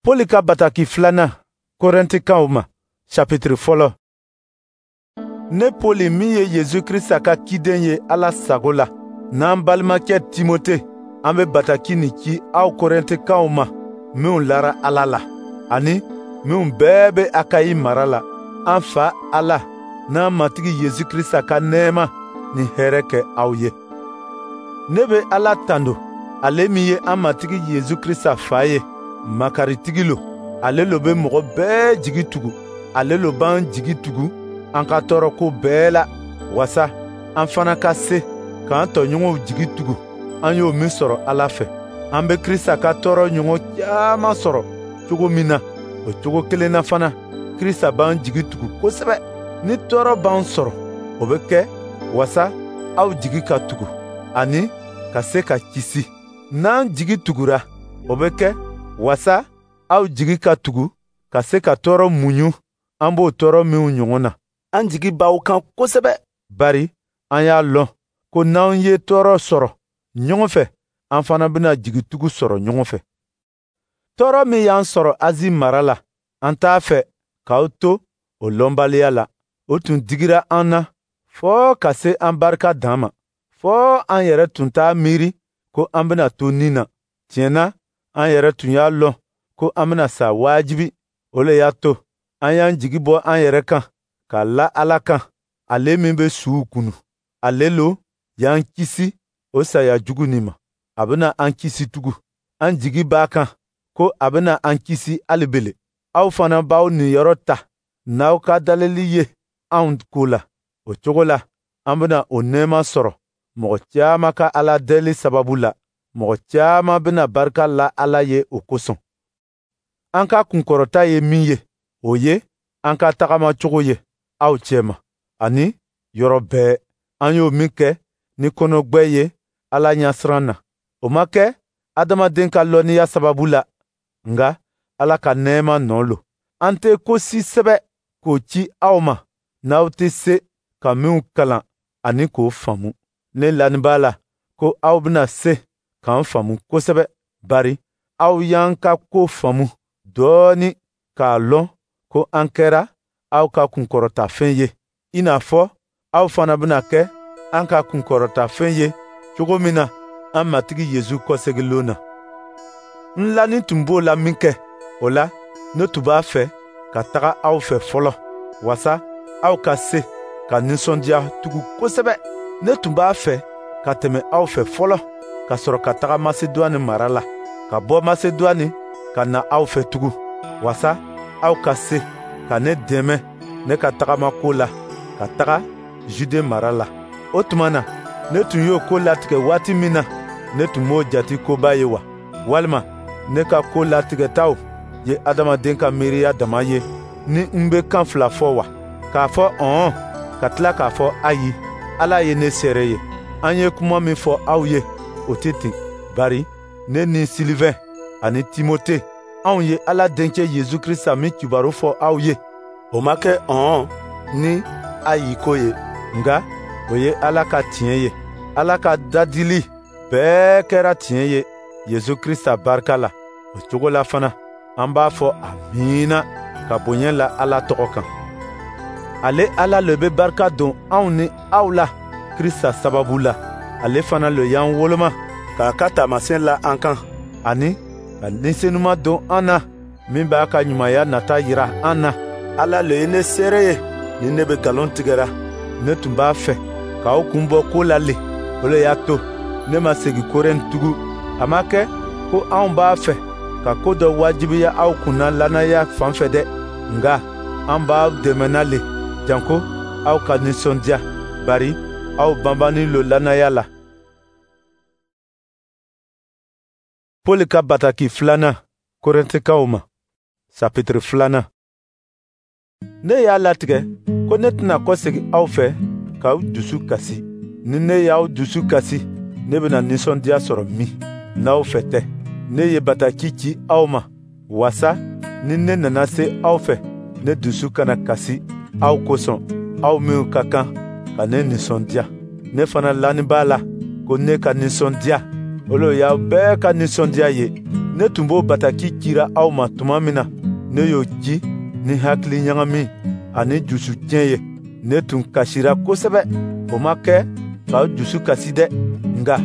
Pɔli ka bataki filanan Korɛntikaw ma, chapitre 1. Ne Pɔli min ye Yesu Krista ka ciden ye Ala sago la, n'an balimakɛ Timote, an bɛ bataki nin ci aw Korɛntikaw ma minw lara Ala la, ani minw bɛɛ bɛ Akayi mara la. An Fa Ala n'an Matigi Yesu Krista ka nɛɛma ni hɛrɛ kɛ aw ye. Ne bɛ Ala tando, ale min ye an Matigi Yesu Krista Fa ye, makaritigi lo. Ale lo bɛ mɔgɔ bɛɛ jigi tugu, ale lo b'an jigi tugu an ka tɔɔrɔko bɛɛ la, wasa an fana ka se k'an tɔɲɔgɔnw jigi tugu, an y'o min sɔrɔ Ala fɛ. An bɛ Krista ka tɔɔrɔ ɲɔgɔn caman sɔrɔ cogo min na, o cogo kelen na fana, Krista b'an jigi tugu kosɛbɛ. Ni tɔɔrɔ b'an sɔrɔ, o bɛ kɛ wasa aw jigi ka tugu, ani ka se ka kisi. N'an jigi tugura, o bɛ kɛ wasa aw jigi ka tugu ka se ka tɔɔrɔ muɲu an b'o tɔɔrɔ minw ɲɔgɔn na. An jigi b'aw kan kosɛbɛ, bari an y'a lɔn ko n'an ye tɔɔrɔ sɔrɔ ɲɔgɔn fɛ, an fana bɛna jigitugu sɔrɔ ɲɔgɔn fɛ. Tɔɔrɔ min y'an sɔrɔ Azi mara la, an t'a fɛ k'aw to o lɔnbaliya la. O tun digira an na fɔɔ ka se an barika dan ma, fɔɔ an yɛrɛ tun t'a miiri ko an bɛna to ni na. Tiɲɛ na, an yɛrɛ tun y'a lɔn ko an bɛna sa wajibi. O le y'a to an y'an jigi bɔ an yɛrɛ kan ka la Ala kan, ale min bɛ suw kunu. Ale lo y'an kisi o saya jugu nin ma. A bɛna an kisi tugun. An jigi b'a kan ko a bɛna an kisi hali bele. Aw fana b'aw niyɔrɔ ta n'aw ka daleli ye anw ko la. O cogo la, an bɛna o nɛɛma sɔrɔ mɔgɔ caman ka Ala deli sababu la. Mɔgɔ caman bɛna barika la Ala ye o kosɔn. An ka kunkɔrɔta ye min ye, o ye an ka tagamacogo ye aw cɛma, ani yɔrɔ bɛɛ. An y'o min kɛ ni kɔnɔgbɛ ye Ala ɲɛsiran na. O ma kɛ adamaden ka lɔnniya sababu la, nka Ala ka nɛɛma nɔ lo. An tɛ ko si sɛbɛ k'o ci aw ma n'aw tɛ se ka minw kalan ani k'o faamu. Ne lani b'a la ko aw bɛna se k'an faamu kosɛbɛ, bari aw y'an ka ko faamu dɔɔni k'a lɔn ko an kɛra aw ka kunkɔrɔtafɛn ye, i n'a fɔ aw fana bɛna kɛ an ka kunkɔrɔtafɛn ye cogo min na an Matigi Yesu kɔsegilon na. N lani tun b'o la min kɛ, o la ne tun b'a fɛ ka taga aw fɛ fɔlɔ, wasa aw ka se ka nisɔndiya tugun kosɛbɛ. Ne tun b'a fɛ ka tɛmɛ aw fɛ fɔlɔ, ka sɔrɔ ka taga Masedwane mara la, ka bɔ Masedwane ka na aw fɛ tugun, wasa aw ka se ka ne dɛmɛ ne ka tagamako la ka taga Jude mara la. O tuma na, ne tun y'o ko latigɛ waati min na, ne tun m'o jate koba ye wa? Walima ne ka ko latigɛtaw ye adamaden ka miiriya dama ye ni n bɛ kan fila fɔ wa? K'a fɔ ɔn, ka tila k'a fɔ ayi. Ala ye ne seere ye. An ye kuma min fɔ aw ye, o tɛ ten. Bari ne ni Silivɛn ani Timote, anw ye Ala denkɛ Yesu Krista min kibaru fɔ aw ye, o ma kɛ ɔn ni ayi ko ye, nka o ye Ala ka tiɲɛ ye. Ala ka dadili bɛɛ kɛra tiɲɛ ye Yesu Krista barika la. O cogo la fana, an b'a fɔ amiina ka bonya la Ala tɔgɔ kan. Ale Ala le bɛ barika don anw ni aw la Krista sababu la. Ale fana le y'an woloma k'a ka taamasiyɛn la an kan, ani ka Ni Senuma don an na min b'a ka ɲumanya nata yira an na. Ala le ye ne seere ye ni ne bɛ nkalon tigɛra. Ne tun b'a fɛ k'aw kun bɔ ko la le, o le y'a to ne ma segin Korɛnti tugun. A ma kɛ ko anw b'a fɛ ka ko dɔ wajibiya aw kunna lannaya fan fɛ dɛ, nka an b'aw dɛmɛna le janko aw ka nisɔndiya, bari aw banbanni lo lannaya la. Pɔli ka bataki filanan Korɛntikaw ma, chapitre 2. Ne y'a latigɛ ko ne tɛna kɔsegin aw fɛ k'aw dusu kasi. Ni ne y'aw dusu kasi, ne bɛna nisɔndiya sɔrɔ min n'aw fɛ tɛ. Ne ye bataki ci aw ma, wasa ni ne nana se aw fɛ, ne dusu kana kasi aw kosɔn, aw minw ka kan ka ne nisɔndiya. Ne fana lani b'a la ko ne ka nisɔndiya, o lo y'aw bɛɛ ka nisɔndiya ye. Ne tun b'o bataki cira aw ma tuma min na, ne y'o ci ni hakili ɲagami ani jusutiɲɛ ye. Ne tun kasira kosɛbɛ. O ma kɛ k'aw jusu kasi dɛ, nka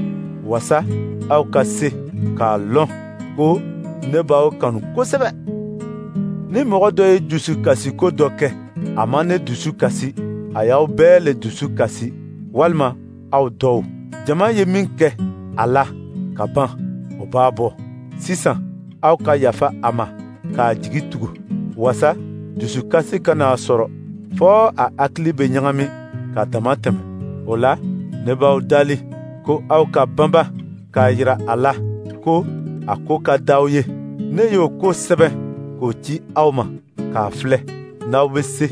wasa aw ka se k'a lɔn ko ne b'aw kanu kosɛbɛ. Ni mɔgɔ dɔ ye jusukasiko dɔ kɛ, a ma ne dusu kasi, a y'aw bɛɛ le dusu kasi, walima aw dɔw. Jama ye min kɛ a la ka ban, o b'a bɔ. Sisan aw ka yafa a ma k'a jigi tugu, wasa dusukasi kana a sɔrɔ fɔ a hakili bɛ ɲagami ka dama tɛmɛ. O la, ne b'aw dali ko aw ka banba k'a yira a la ko a ko ka d'aw ye. Ne y'o ko sɛbɛn k'o ci aw ma k'a filɛ n'aw bɛ se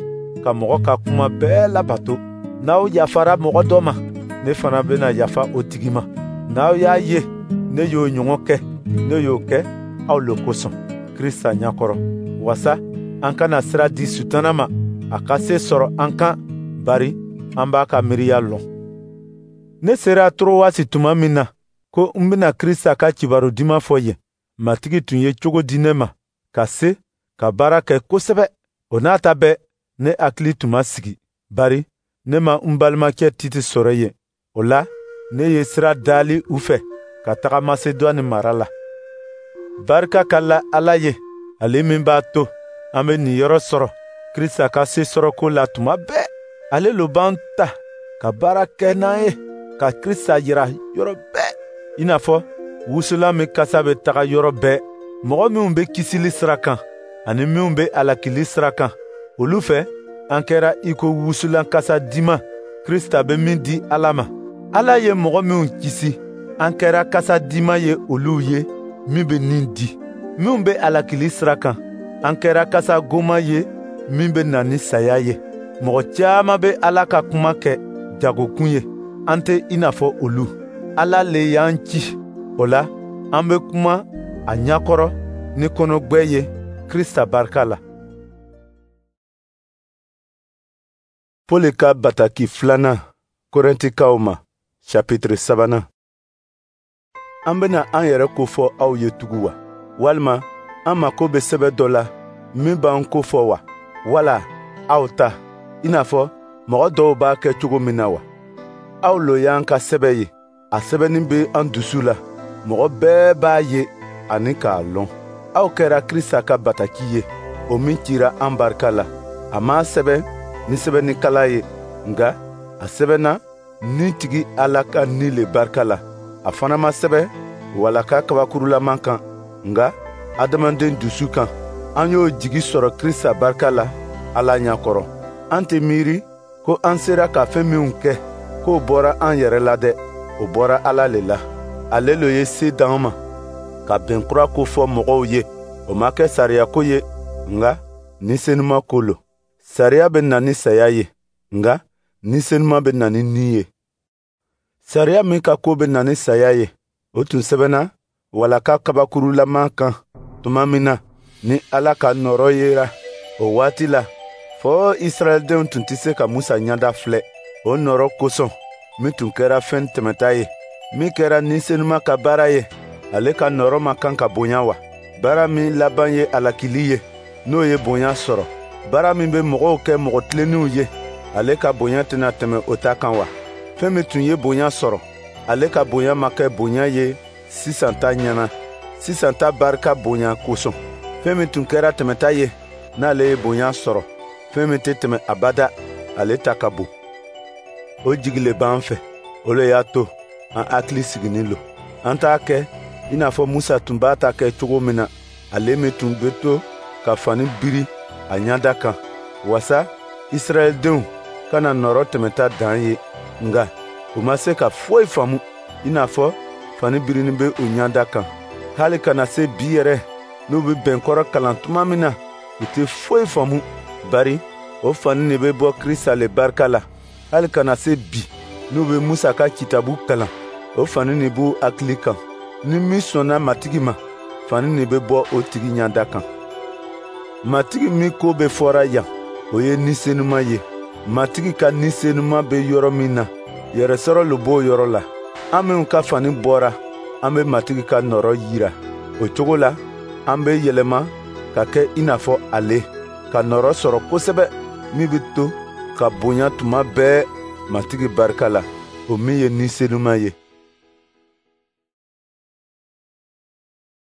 ka mɔgɔ ka kuma bɛɛ labato. N'aw yafara mɔgɔ dɔ ma, ne fana bɛna yafa o tigi ma. N'aw y'a ye ne y'o ɲɔgɔn kɛ, ne y'o kɛ aw le kosɔn Krista ɲɛkɔrɔ, wasa an kana sira di Sutana ma a ka se sɔrɔ an kan, bari an b'a ka miiriya lɔn. Ne sera Torowasi tuma min na ko n bɛna Krista ka kibaru duman fɔ yen, Matigi tun ye cogo di ne ma ka se ka baara kɛ kosɛbɛ. O n'a ta bɛɛ, ne hakili tun ma sigi, bari ne ma n balimakɛ Tite sɔrɔ yen. O la, ne ye sira dali u fɛ ka taga Masedwane mara la. Barika ka la Ala ye, ale min b'a to an bɛ niyɔrɔ sɔrɔ Krista ka se sɔrɔko la tuma bɛɛ. Ale lo b'an ta ka baara kɛ n'an ye ka Krista yira yɔrɔ bɛɛ, i n'a fɔ wusulan min kasa bɛ taga yɔrɔ bɛɛ. Mɔgɔ minw bɛ kisili sira kan ani minw bɛ halakili sira kan, olu fɛ an kɛra i ko wusulan kasa diman Krista bɛ min di Ala ma. Ala ye mɔgɔ minw kisi, an kɛra kasa diman ye olu ye min bɛ nin di. Minw bɛ halakili sira kan, an kɛra kasa goman ye min bɛ na ni saya ye. Mɔgɔ caman bɛ Ala ka kuma kɛ jagokun ye, an tɛ i n'a fɔ olu. Ala le y'an ci, o la an bɛ kuma a ɲɛkɔrɔ ni kɔnɔgbɛ ye Krista barika la. Pɔli ka bataki filanan Korɛntikaw ma, chapitre 3. An bɛna an yɛrɛ ko fɔ aw ye tugun wa? Walima an mako bɛ sɛbɛ dɔ la min b'an ko fɔ wa? Wala aw ta, i n'a fɔ mɔgɔ dɔw b'a kɛ cogo min na wa? Aw lo y'an ka sɛbɛ ye, a sɛbɛnni bɛ an dusu la, mɔgɔ bɛɛ b'a ye ani k'a lɔn. Aw kɛra Krista ka bataki ye, o min cira an barika la. A m'a sɛbɛn ni sɛbɛnnikala ye, nka a sɛbɛnna ni tigi Ala ka ni le barika la. A fana ma sɛbɛn walaka kabakurulama kan, nka adamaden dusu kan. An y'o jigi sɔrɔ Krista barika la Ala ɲɛkɔrɔ. An tɛ miiri ko an sera ka fɛn minw kɛ, k'o bɔra an yɛrɛ la dɛ, o bɔra Ala le la. Ale le ye se d'an ma ka bɛn kura ko fɔ mɔgɔw ye. O ma kɛ sariya ko ye, nka ni senuma ko lo. Sariya bɛ na ni saya ye, nka ni senuma bɛ na ni ni ye. Sariya min ka ko bɛ na ni saya ye, o tun sɛbɛnna walaka kabakurulama kan tuma min na ni Ala ka nɔɔrɔ yera. O waati la, fɔ Israɛldenw tun tɛ se ka Musa ɲɛda filɛ. O nɔɔrɔ kosɔn, min tun kɛra fɛn tɛmɛta ye, min kɛra ni senuma ka baara ye, ale ka nɔɔrɔ ma kan ka bonya wa? Baara min laban ye alakili ye, n'o ye bonya sɔrɔ. Baara min bɛ mɔgɔw kɛ mɔgɔ tilennenw ye, ale ka bonya tɛna tɛmɛ o ta kan wa? Fɛn min tun ye bonya sɔrɔ, ale ka bonya ma kɛ bonya ye sisan ta ɲɛna, sisan ta barika bonya kosɔn. Fɛn min tun kɛra tɛmɛta ye, n'ale ye bonya sɔrɔ, fɛn min tɛ tɛmɛ abada, ale ta ka bon. O jigi le b'an fɛ, o le y'a to an hakili sigilen lo. An t'a kɛ i n'a fɔ Musa tun b'a ta kɛ cogo min na, ale min tun bɛ to ka fani biri a ɲɛda kan, wasa Israɛldenw kana nɔɔrɔ tɛmɛta dan ye. Nka u ma se ka foyi faamu, i n'a fɔ fani birinin bɛ u ɲɛda kan. Hali ka na se bi yɛrɛ, n'u bɛ bɛnkɔrɔ kalan tuma min na, u tɛ foyi faamu, bari o fani de bɛ bɔ Krista le barika la. Hali ka na se bi, n'u bɛ Musa ka kitabu kalan, o fani de b'u hakili kan. Ni min sɔnna Matigi ma, fani de bɛ bɔ o tigi ɲɛda kan. Matigi min ko bɛ fɔra yan, o ye Ni Senuma ye. Matigi ka Ni Senuma bɛ yɔrɔ min na, yɛrɛsɔrɔ le b'o yɔrɔ la. An minnu ka fani bɔra, an bɛ Matigi ka nɔɔrɔ yira O cogo la, an bɛ yɛlɛma ka kɛ i n'a fɔ ale, ka nɔrɔ sɔrɔ kosɛbɛ min bɛ to ka bonya tuma bɛɛ Matigi barika la, o min ye Ni Senuma ye.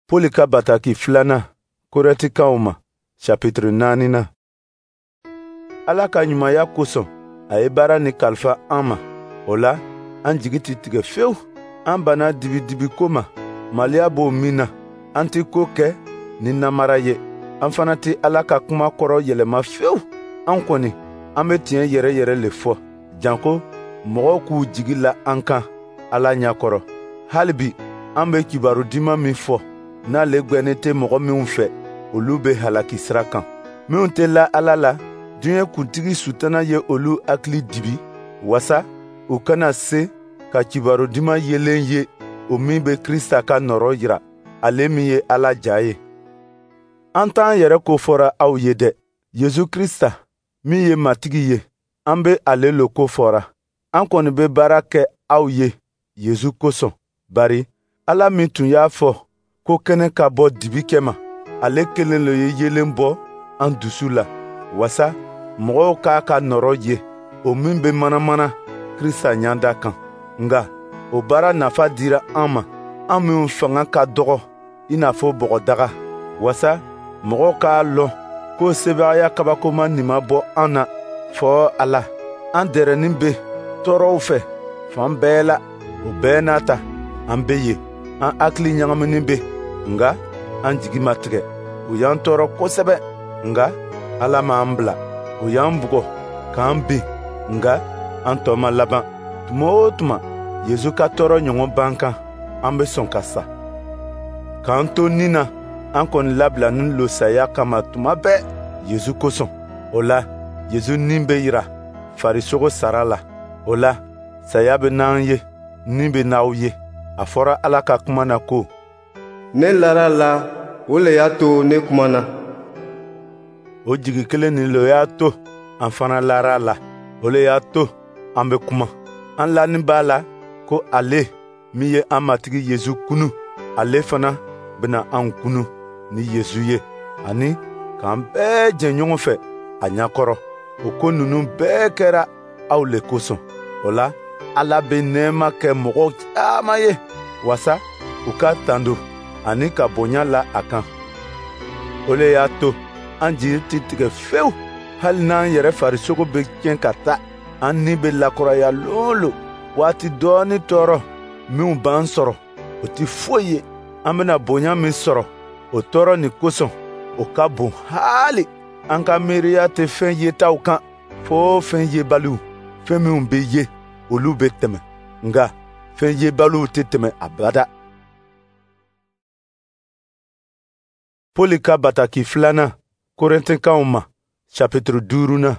Poli ka bataki filanan Korɛntikaw ma, chapitre 4nan. Ala ka ɲumanya kosɔn, a ye baara nin kalifa an ma. O la, an jigi tɛ tigɛ fewu. An banna dibidibiko ma, maloya b'o min na. An tɛ ko kɛ ni namara ye. An fana tɛ Ala ka kuma kɔrɔ yɛlɛma fewu. An kɔni, an bɛ tiɲɛ yɛrɛ yɛrɛ le fɔ, janko mɔgɔw k'u jigi la an kan Ala ɲɛ kɔrɔ. Hali bi, an bɛ kibaru duman min fɔ, n'ale gwɛnnen tɛ mɔgɔ minw fɛ, olu bɛ halaki sira kan. Minw tɛ la Ala la, diɲɛ kuntigi Sutana ye olu hakili dibi, wasa u kana se ka kibaru duman yelen ye, o min bɛ Krista ka nɔrɔ jira, ale min ye Ala ja ye. An t'an yɛrɛ ko fɔra aw ye dɛ. Yesu Krista min ye Matigi ye, an bɛ ale lo ko fɔra. An kɔni bɛ baara kɛ aw ye Yesu kosɔn, bari Ala min tun y'a fɔ ko kɛnɛ ka bɔ dibi cɛma, ale kelen le ye yeelen bɔ an dusu la, wasa mɔgɔw k'a ka nɔrɔ ye, o min bɛ manamana Krista ɲɛda kan. Nka o baara nafa dira an ma, an minw fanga ka dɔgɔ i n'a fɔ bɔgɔdaga, wasa mɔgɔw k'a lɔn ko sebagaya kabakoma nin ma bɔ an na fɔ Ala. An dɛrɛnin bɛ tɔɔrɔw fɛ fan bɛɛ la, o bɛɛ n'a ta an bɛ yen. An hakili ɲagaminen bɛ, nka an jigi ma tigɛ. U y'an tɔɔrɔ kosɛbɛ, nka Ala m'an bila. U y'an bugɔ k'an bin, nka an tɔ ma laban. Tuma o tuma, Yesu ka tɔɔrɔ ɲɔgɔn b'an kan, an bɛ sɔn ka sa. K'an to ni na, an kɔni labilanin lo saya kama tuma bɛɛ Yesu kosɔn. O la, Yesu ni bɛ yira farisogo sara la. O la, saya bɛ n'an ye, ni bɛ n'aw ye. A fɔra Ala ka kuma na ko: Ne lara la, o le y'a to ne kumana. O jigi kelen nin le y'a to an fana lara la. O le y'a to an bɛ kuma. An lanin b'a la ko ale min ye an Matigi Yesu kunu, ale fana bɛna an kunu ni Yesu ye, ani k'an bɛɛ jɛ ɲɔgɔn fɛ a ɲɛkɔrɔ. O ko ninnu bɛɛ kɛra aw le kosɔn. O la, Ala bɛ nɛɛma kɛ mɔgɔ caman ye, wasa u ka tando ani ka bonya la a kan. O le y'a to an jigi tɛ tigɛ fewu, hali n'an yɛrɛ farisogo bɛ tiɲɛ ka taa, an ni bɛ lakuraya lon o lon. Waati dɔɔni tɔɔrɔ minw b'an sɔrɔ, o tɛ foyi ye. An bɛna bonya min sɔrɔ o tɔɔrɔ nin kosɔn, o ka bon haali. An ka miiriya tɛ fɛn yetaw kan, fo fɛn yebaliw. Fɛn minw bɛ ye, olu bɛ tɛmɛ, nka fɛn yebaliw tɛ tɛmɛ abada. Poli ka bataki filanan Korɛntikaw ma, chapitre 5nan.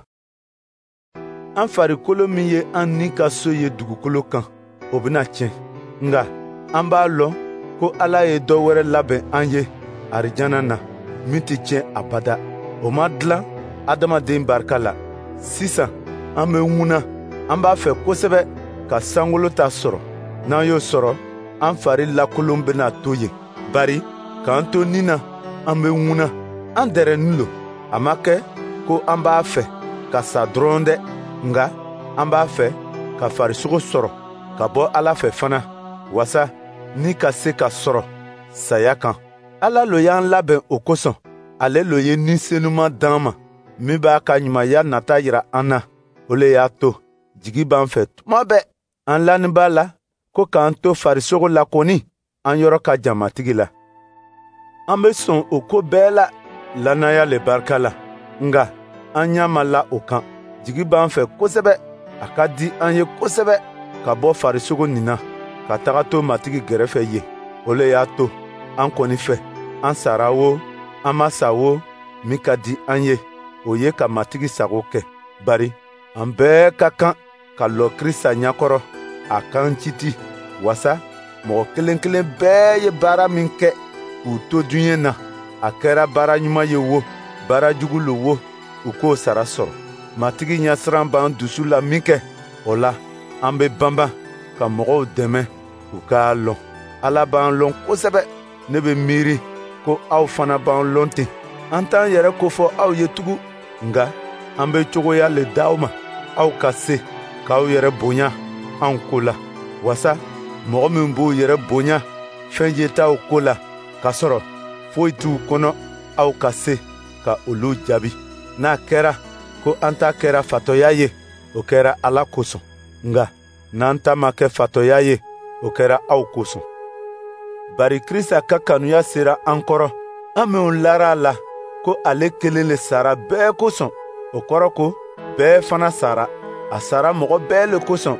An farikolo min ye an ni ka so ye dugukolo kan, o bɛna tiɲɛ. Nka an b'a lɔn ko Ala ye dɔ wɛrɛ labɛn an ye arijana na, min tɛ tiɲɛ abada. O ma dilan adamaden barika la. Sisan an bɛ ŋuna, an b'a fɛ kosɛbɛ ka sankolo ta sɔrɔ. N'an y'o sɔrɔ, an fari lakolon bɛna to yen. Bari k'an to ni na, an bɛ ŋuna, an dɛrɛnin lo. A ma kɛ ko an b'a fɛ ka sa dɔrɔn dɛ, nka an b'a fɛ ka farisogo sɔrɔ ka bɔ Ala fɛ fana, wasa ni ka se ka sɔrɔ saya kan. Ala lo y'an labɛn o kosɔn. Ale lo ye Ni Senuma d'an ma, min b'a ka ɲumanya nata yira an na. O le y'a to jigi b'an fɛ tuma bɛɛ. An lanin b'a la ko k'an to farisogo la kɔni, an yɔrɔ ka jan Matigi la. An bɛ sɔn o ko bɛɛ la lannaya le barika la, nka an ɲɛ ma la o kan. Jigi b'an fɛ kosɛbɛ, a ka di an ye kosɛbɛ ka bɔ farisogo nin na, ka taga to Matigi gɛrɛfɛ yen. O le y'a to an kɔni fɛ, an sara wo, an ma sa wo, min ka di an ye, o ye ka Matigi sago kɛ. Bari an bɛɛ ka kan ka lɔ Krista ɲɛkɔrɔ, a k'an citi, wasa mɔgɔ kelen kelen bɛɛ ye baara min kɛ k'u to diɲɛ na, a kɛra baara ɲuman ye wo, baara jugu lo wo, u k'o sara sɔrɔ. Matigi ɲɛsiran b'an dusu la min kɛ, o la an bɛ banban ka mɔgɔw dɛmɛ u k'a lɔn. Ala b'an lɔn kosɛbɛ. Ne bɛ miiri ko aw fana b'an lɔn ten. An t'an yɛrɛ kofɔ aw ye tugun, nka an bɛ cogoya le d'aw ma, aw ka se k'aw yɛrɛ bonya anw ko la, wasa mɔgɔ min b'u yɛrɛ bonya fɛn yetaw ko la, k'a sɔrɔ foyi t'u kɔnɔ, aw ka se ka olu jaabi. N'a kɛra ko an ta kɛra fatɔya ye, o kɛra Ala kosɔn, nka n'an ta ma kɛ fatɔya ye, o kɛra aw kosɔn. Bari Krista ka kanuya sera an kɔrɔ, an minw lara a la ko ale kelen le sara bɛɛ kosɔn, o kɔrɔ ko bɛɛ fana sara. A sara mɔgɔ bɛɛ le kosɔn,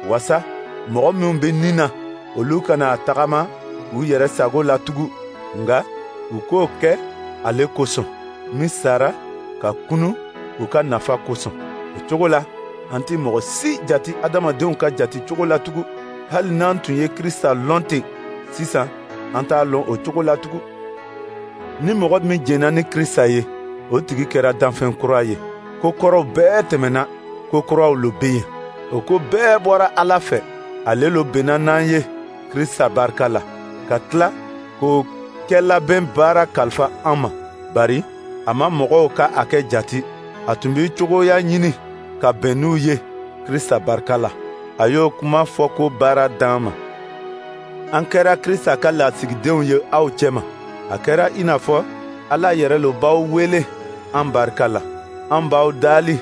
wasa mɔgɔ minw bɛ ni na, olu kana tagama u yɛrɛ sago la tugun, nka u k'o kɛ ale kosɔn, min sara ka kunu u ka nafa kosɔn. O cogo la, an tɛ mɔgɔ si jati adamadenw ka jati cogo la tugun. Hali n'an tun ye Krista lɔn ten, sisan an t'a lɔn o cogo la tugun. Ni mɔgɔ min jɛnna ni Krista ye, o tigi kɛra danfɛn kura ye. Ko kɔrɔw bɛɛ tɛmɛna, ko kuraw lo bɛ yen. O ko bɛɛ bɔra Ala fɛ, ale lo bɛnna n'an ye Krista barika la, ka tila k'o kɛlabɛn baara kalifa an ma. Bari a ma mɔgɔw ka a kɛ jati, a tun bɛ cogoya ɲini ka bɛn n'u ye Krista barika la. A y'o kuma fɔ ko baara d'an ma. An kɛra Krista ka lasigidenw ye aw cɛma. A kɛra i n'a fɔ Ala yɛrɛ lo b'aw wele an barika la. An b'aw daali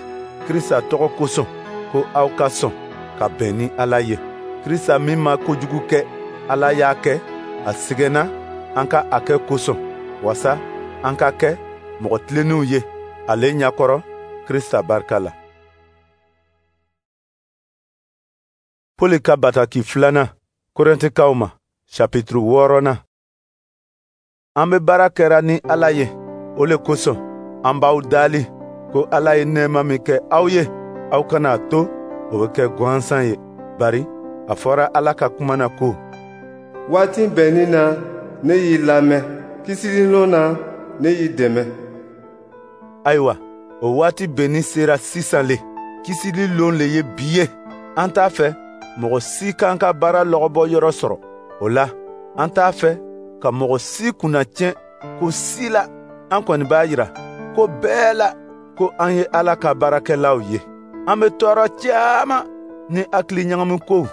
Krista tɔgɔ kosɔn ko aw ka sɔn ka bɛn ni Ala ye. Krista min ma kojugu kɛ, Ala y'a kɛ a sɛgɛnna an ka a kɛ kosɔn, wasa an ka kɛ mɔgɔ tilennenw ye ale ɲɛkɔrɔ Krista barika la. Poli ka bataki filanan Korɛntikaw ma, chapitre 6. An bɛ baara kɛra ni Ala ye, o le kosɔn an b'aw daali ko Ala ye nɛɛma min kɛ aw ye, aw kana to o bɛ kɛ gansan ye. Bari a fɔra Ala ka kuma na ko: Waati bɛnnin na, ne y'i lamɛn, kisili lon na, ne y'i dɛmɛ. Ayiwa, o waati bɛnnin sera sisan le, kisili lon le ye bi ye. An t'a fɛ mɔgɔ si k'an ka baara lɔgɔbɔ yɔrɔ sɔrɔ. O la, an t'a fɛ ka mɔgɔ si kunnatiɲɛ ko si la. An kɔni b'a yira ko bɛɛ la ko an ye Ala ka baarakɛlaw ye. An bɛ tɔɔrɔ caman ni hakili ɲagamikow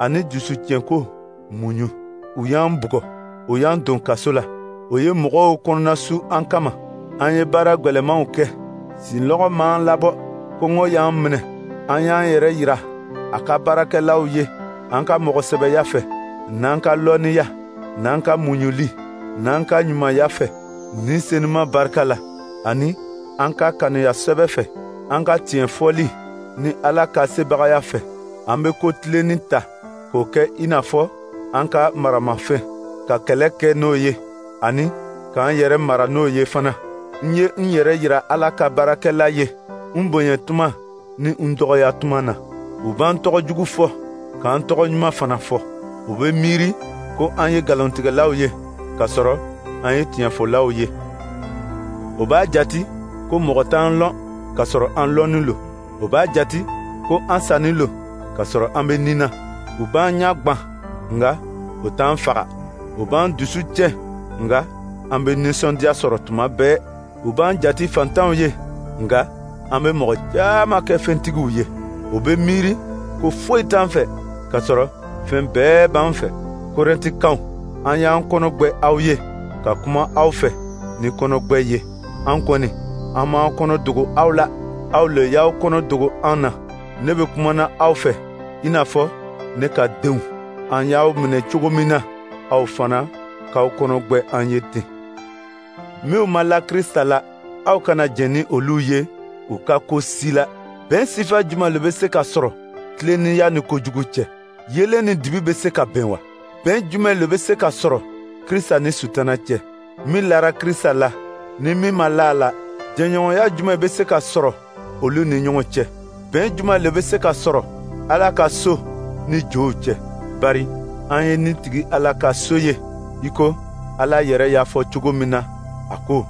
ani dusutiɲɛko muɲu. U y'an bugɔ, u y'an don kaso la, o ye mɔgɔw kɔnɔnasu an kama. An ye baara gwɛlɛmanw kɛ, sinlɔgɔ m'an labɔ, kɔngɔ y'an minɛ. An y'an yɛrɛ yira a ka baarakɛlaw ye an ka mɔgɔsɛbɛya fɛ, n'an ka lɔnniya, n'an ka muɲuli, n'an ka ɲumanya fɛ, ni senuma barika la, ani an ka kanuya sɛbɛ fɛ, an ka tiɲɛ fɔli ni Ala ka sebagaya fɛ. An bɛ ko tilennin ta k'o kɛ i n'a fɔ an ka maramafɛn, ka kɛlɛ kɛ n'o ye, ani k'an yɛrɛ mara n'o ye fana. N ye n yɛrɛ yira Ala ka baarakɛla ye n bonya tuma ni n dɔgɔya tuma na. U b'an tɔgɔ jugu fɔ, k'an tɔgɔ ɲuman fana fɔ. U bɛ miiri ko an ye nkalontigɛlaw ye, k'a sɔrɔ an ye tiɲɛfɔlaw ye. O b'a jati ko mɔgɔ t'an lɔn, k'a sɔrɔ an lɔnnin lo. O b'a jati ko an sannin lo, k'a sɔrɔ an bɛ nin na. U b'an ɲɛ gwan, nka o t'an faga. U b'an dusu tiɲɛ, nka an bɛ nisɔndiya sɔrɔ tuma bɛɛ. U b'an jati fantanw ye, nka an bɛ mɔgɔ caman kɛ fɛntigiw ye. U bɛ miiri ko foyi t'an fɛ, k'a sɔrɔ fɛn bɛɛ b'an fɛ. Korɛntikaw, an y'an kɔnɔ gwɛ aw ye ka kuma aw fɛ ni kɔnɔgwɛ ye. An kɔni, an m'an kɔnɔ dogo aw la, aw le y'aw kɔnɔ dogo an na. Ne bɛ kumana aw fɛ i n'a fɔ ne ka denw. An y'aw minɛ cogo min na, aw fana k'aw kɔnɔ gwɛ an ye ten. Minw ma la Krista la, aw kana jɛn ni olu ye u ka ko si la. Bɛn sifa jumɛn le bɛ se ka sɔrɔ tilennenya ni kojugu cɛ? Yeelen ni dibi bɛ se ka bɛn wa? Bɛn jumɛn le bɛ se ka sɔrɔ Krista ni Sutana cɛ? Min lara Krista la ni min ma la a la, jɛɲɔgɔnya jumɛn bɛ se ka sɔrɔ olu ni ɲɔgɔn cɛ? Bɛn jumɛn le bɛ se ka sɔrɔ Ala ka so ni jow cɛ? Bari an ye ni tigi Ala ka so ye, i ko Ala yɛrɛ y'a fɔ cogo min na, a ko: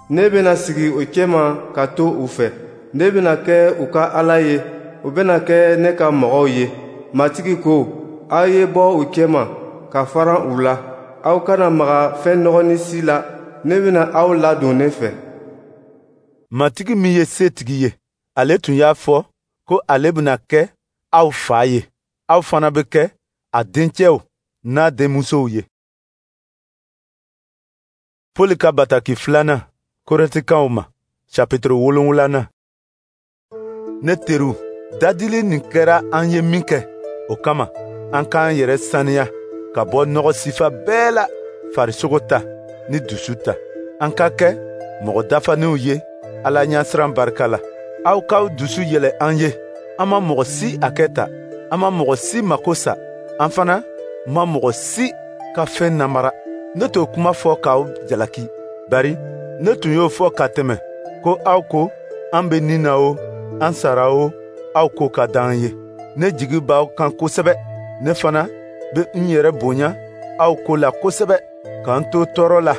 Ne bɛna sigi o cɛma ka to u fɛ. Ne bɛna kɛ u ka Ala ye, u bɛna kɛ ne ka mɔgɔw ye. Matigi ko, aw ye bɔ u cɛma ka faran u la. Aw kana maga fɛn nɔgɔnin si la. Ne bɛna aw ladon ne fɛ. Matigi min ye setigi ye, ale tun y'a fɔ ko ale bɛna kɛ aw fa ye. Aw fana bɛ kɛ a dencɛw n'a denmusow ye. Pɔli ka bataki filanan Korɛntikaw ma, chapitre 7nan. Ne teriw, dadili nin kɛra an ye min kɛ, o kama an k'an yɛrɛ saniya ka bɔ nɔgɔ sifa bɛɛ la, farisogo ta ni dusu ta. An ka kɛ mɔgɔ dafalenw ye Ala ɲɛsiran barika la. Aw k'aw dusu yɛlɛ an ye. An ma mɔgɔ si hakɛ ta, an ma mɔgɔ si mako sa, an fana ma mɔgɔ si ka fɛn namara. Ne t'o kuma fɔ k'aw jalaki, bari ne tun y'o fɔ ka tɛmɛ ko aw ko an bɛ nin na o, an sara o, aw ko ka d'an ye. Ne jigi b'aw kan kosɛbɛ. Ne fana bɛ n yɛrɛ bonya aw ko la kosɛbɛ. K'an to tɔɔrɔ la,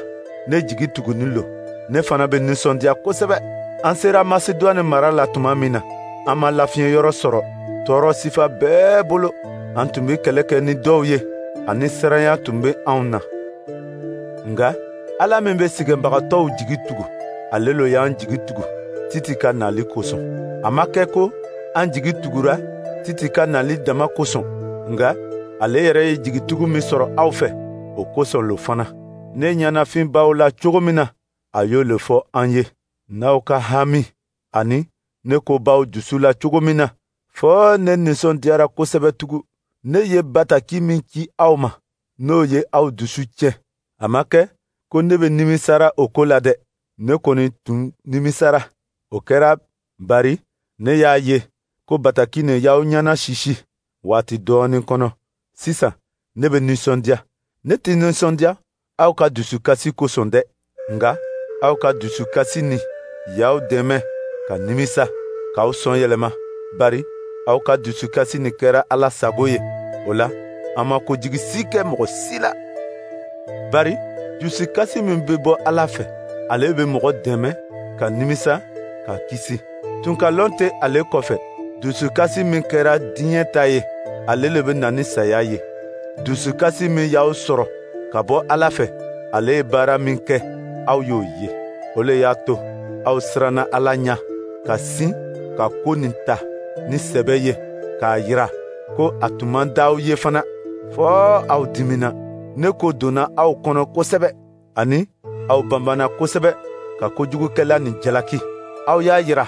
ne jigi tugunin lo. Ne fana bɛ nisɔndiya kosɛbɛ. An sera Masedwane mara la tuma min na, an ma lafiɲɛ yɔrɔ sɔrɔ tɔɔrɔ sifa bɛɛ bolo. An tun bɛ kɛlɛ kɛ ni dɔw ye, ani siranya tun bɛ anw na. Nka Ala min bɛ sɛgɛnbagatɔw jigi tugu, ale lo y'an jigi tugu Titi ka nali kosɔn. A ma kɛ ko an jigi tugura Titi ka nali dama kosɔn, nka ale yɛrɛ ye jigitugu min sɔrɔ aw fɛ, o kosɔn lo fana. Ne ɲɛnafin b'aw la cogo min na, a y'o le fɔ an ye. N'aw ka hami ani ne ko b'aw dusu la cogo min na, fɔɔ ne nisɔndiyara kosɛbɛ tugun. Ne ye bataki min ci aw ma, n'o ye aw dusu tiɲɛ. A ma kɛ ko ne bɛ nimisara o ko la dɛ. Ne kɔni tun nimisara. O kɛra bari ne y'a ye ko bataki nin y'aw ɲɛna sisi waati dɔɔnin kɔnɔ. Sisan ne bɛ nisɔndiya. Ne tɛ nisɔndiya aw ka dusukasi kosɔn dɛ, nka aw ka dusukasi nin y'aw dɛmɛ ka nimisa, k'aw sɔn yɛlɛma, bari aw ka dusukasi nin kɛra Ala sago ye. O la, an ma kojigi si kɛ mɔgɔ si la. Bari dusukasi min bɛ bɔ Ala fɛ, ale bɛ mɔgɔ dɛmɛ ka nimisa, ka kisi. Tunkalɔn tɛ ale kɔfɛ. Dusukasi min kɛra diɲɛ ta ye, ale le bɛ na ni saya ye. Dusukasi min y'aw sɔrɔ ka bɔ Ala fɛ, ale ye baara min kɛ, aw y'o ye. O le y'a to aw siranna Ala ɲɛ ka sin ka ko nin ta ni sɛbɛ ye k'a yira ko a tun man d'aw ye fana, fɔɔ aw dimina. Ne ko donna aw kɔnɔ kosɛbɛ, ani aw banbanna kosɛbɛ ka kojugukɛla nin jalaki. Aw y'a yira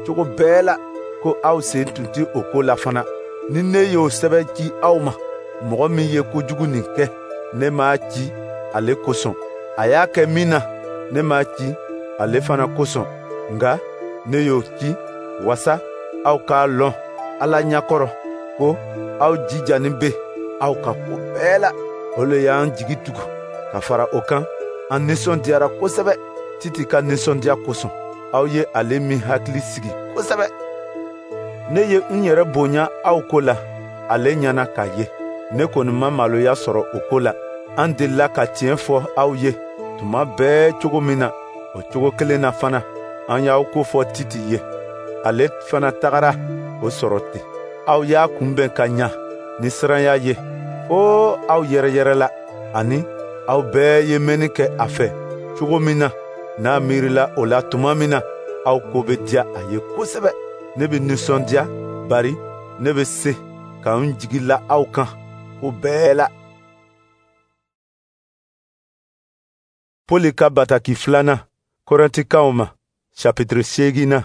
cogo bɛɛ la ko aw sen tun tɛ o ko la fana. Ni ne y'o sɛbɛn ci aw ma, mɔgɔ min ye kojugu nin kɛ, ne m'a ci ale kosɔn. A y'a kɛ min na, ne m'a ci ale fana kosɔn. Nka ne y'o ci wasa aw k'a lɔn Ala ɲɛkɔrɔ ko aw jijanin bɛ aw ka ko bɛɛ la. O le y'an jigi tugu. Ka fara o kan, an nisɔndiyara kosɛbɛ Titi ka nisɔndiya kosɔn. Aw ye ale min hakili sigi kosɛbɛ. Ne ye n yɛrɛ bonya aw ko la ale ɲɛna k'a ye. Ne kɔni ma maloya sɔrɔ o ko la. An delila ka tiɲɛ fɔ aw ye tuma bɛɛ cogo min na, o cogo kelen na fana an y'aw ko fɔ Titi ye. Ale fana tagara o sɔrɔ ten. Aw y'a kunbɛn ka ɲa ni siranya ye, fo aw yɛrɛyɛrɛla, ani aw bɛɛ ye mɛnni kɛ a fɛ cogo min na, n'a miirila o la tuma min na, aw ko bɛ diya a ye kosɛbɛ. Ne bɛ nisɔndiya, bari ne bɛ se ka n jigi la aw kan ko bɛɛ la. Pɔli ka bataki filanan Korɛntikaw ma, chapitre 8nan.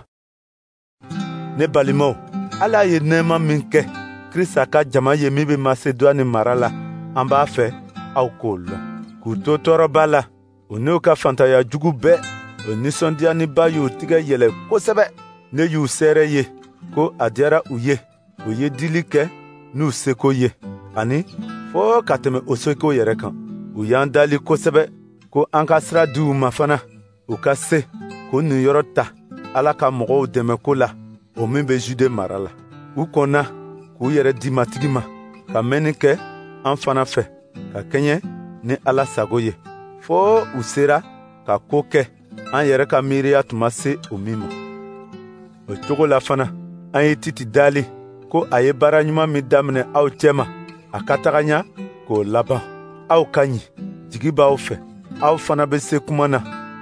Ne balimaw, Ala ye nɛɛma min kɛ Krista ka jama ye min bɛ Masedwane mara la, an b'a fɛ aw k'o lɔn. K'u to tɔɔrɔba la, u n'u ka fantanya jugu bɛɛ, o nisɔndiyaniba y'u tigɛ yɛlɛ kosɛbɛ. Ne y'u seere ye ko a diyara u ye, u ye dili kɛ n'u seko ye, ani fɔɔ ka tɛmɛ o seko yɛrɛ kan. U y'an dali kosɛbɛ ko an ka sira di u ma fana, u ka se k'u niyɔrɔ ta Ala ka mɔgɔw dɛmɛ ko la, o min bɛ Jude mara la. U kɔnna k'u yɛrɛ di Matigi ma, ka mɛnni kɛ an fana fɛ, ka kɛɲɛ ni Ala sago ye, fɔɔ u sera ka ko kɛ an yɛrɛ ka miiriya tun ma se o min ma. O cogo la fana, an ye Titi dali ko a ye baara ɲuman min daminɛ aw cɛma, a ka taga ɲa k'o laban. Aw ka ɲi jigi b'aw fɛ. Aw fana bɛ se kuma na,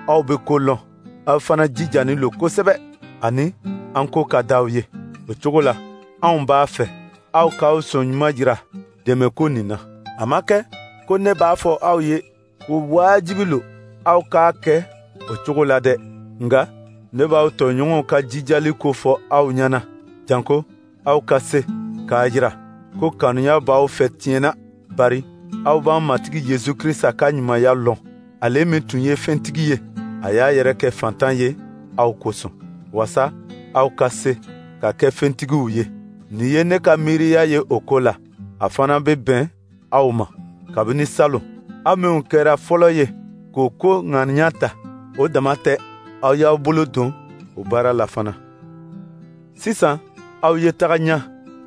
aw bɛ ko lɔn, aw fana jijanin lo kosɛbɛ, ani an ko ka d'aw ye. O cogo la, anw b'a fɛ aw k'aw sɔn ɲuman jira dɛmɛko nin na. A ma kɛ ko ne b'a fɔ aw ye ko wajibi lo aw k'a kɛ o cogo la dɛ, nka ne b'aw tɔɲɔgɔnw ka jijali ko fɔ aw ɲɛna, janko aw ka se k'a jira ko kanuya b'aw fɛ tiɲɛ na, bari aw b'an Matigi Yesu Krista ka ɲumanya lɔn. Ale min tun ye fɛntigi ye, a y'a yɛrɛ kɛ fantan ye aw kosɔn, wasa aw ka se ka kɛ fɛntigiw ye. Nin ye ne ka miiriya ye o ko la, a fana bɛ bɛn aw ma. Kabini salon, aw minnu kɛra fɔlɔ ye k'o ko ŋaniya ta, o dama tɛ, aw y'aw bolo don o baara la fana. Sisan, aw ye taga ɲa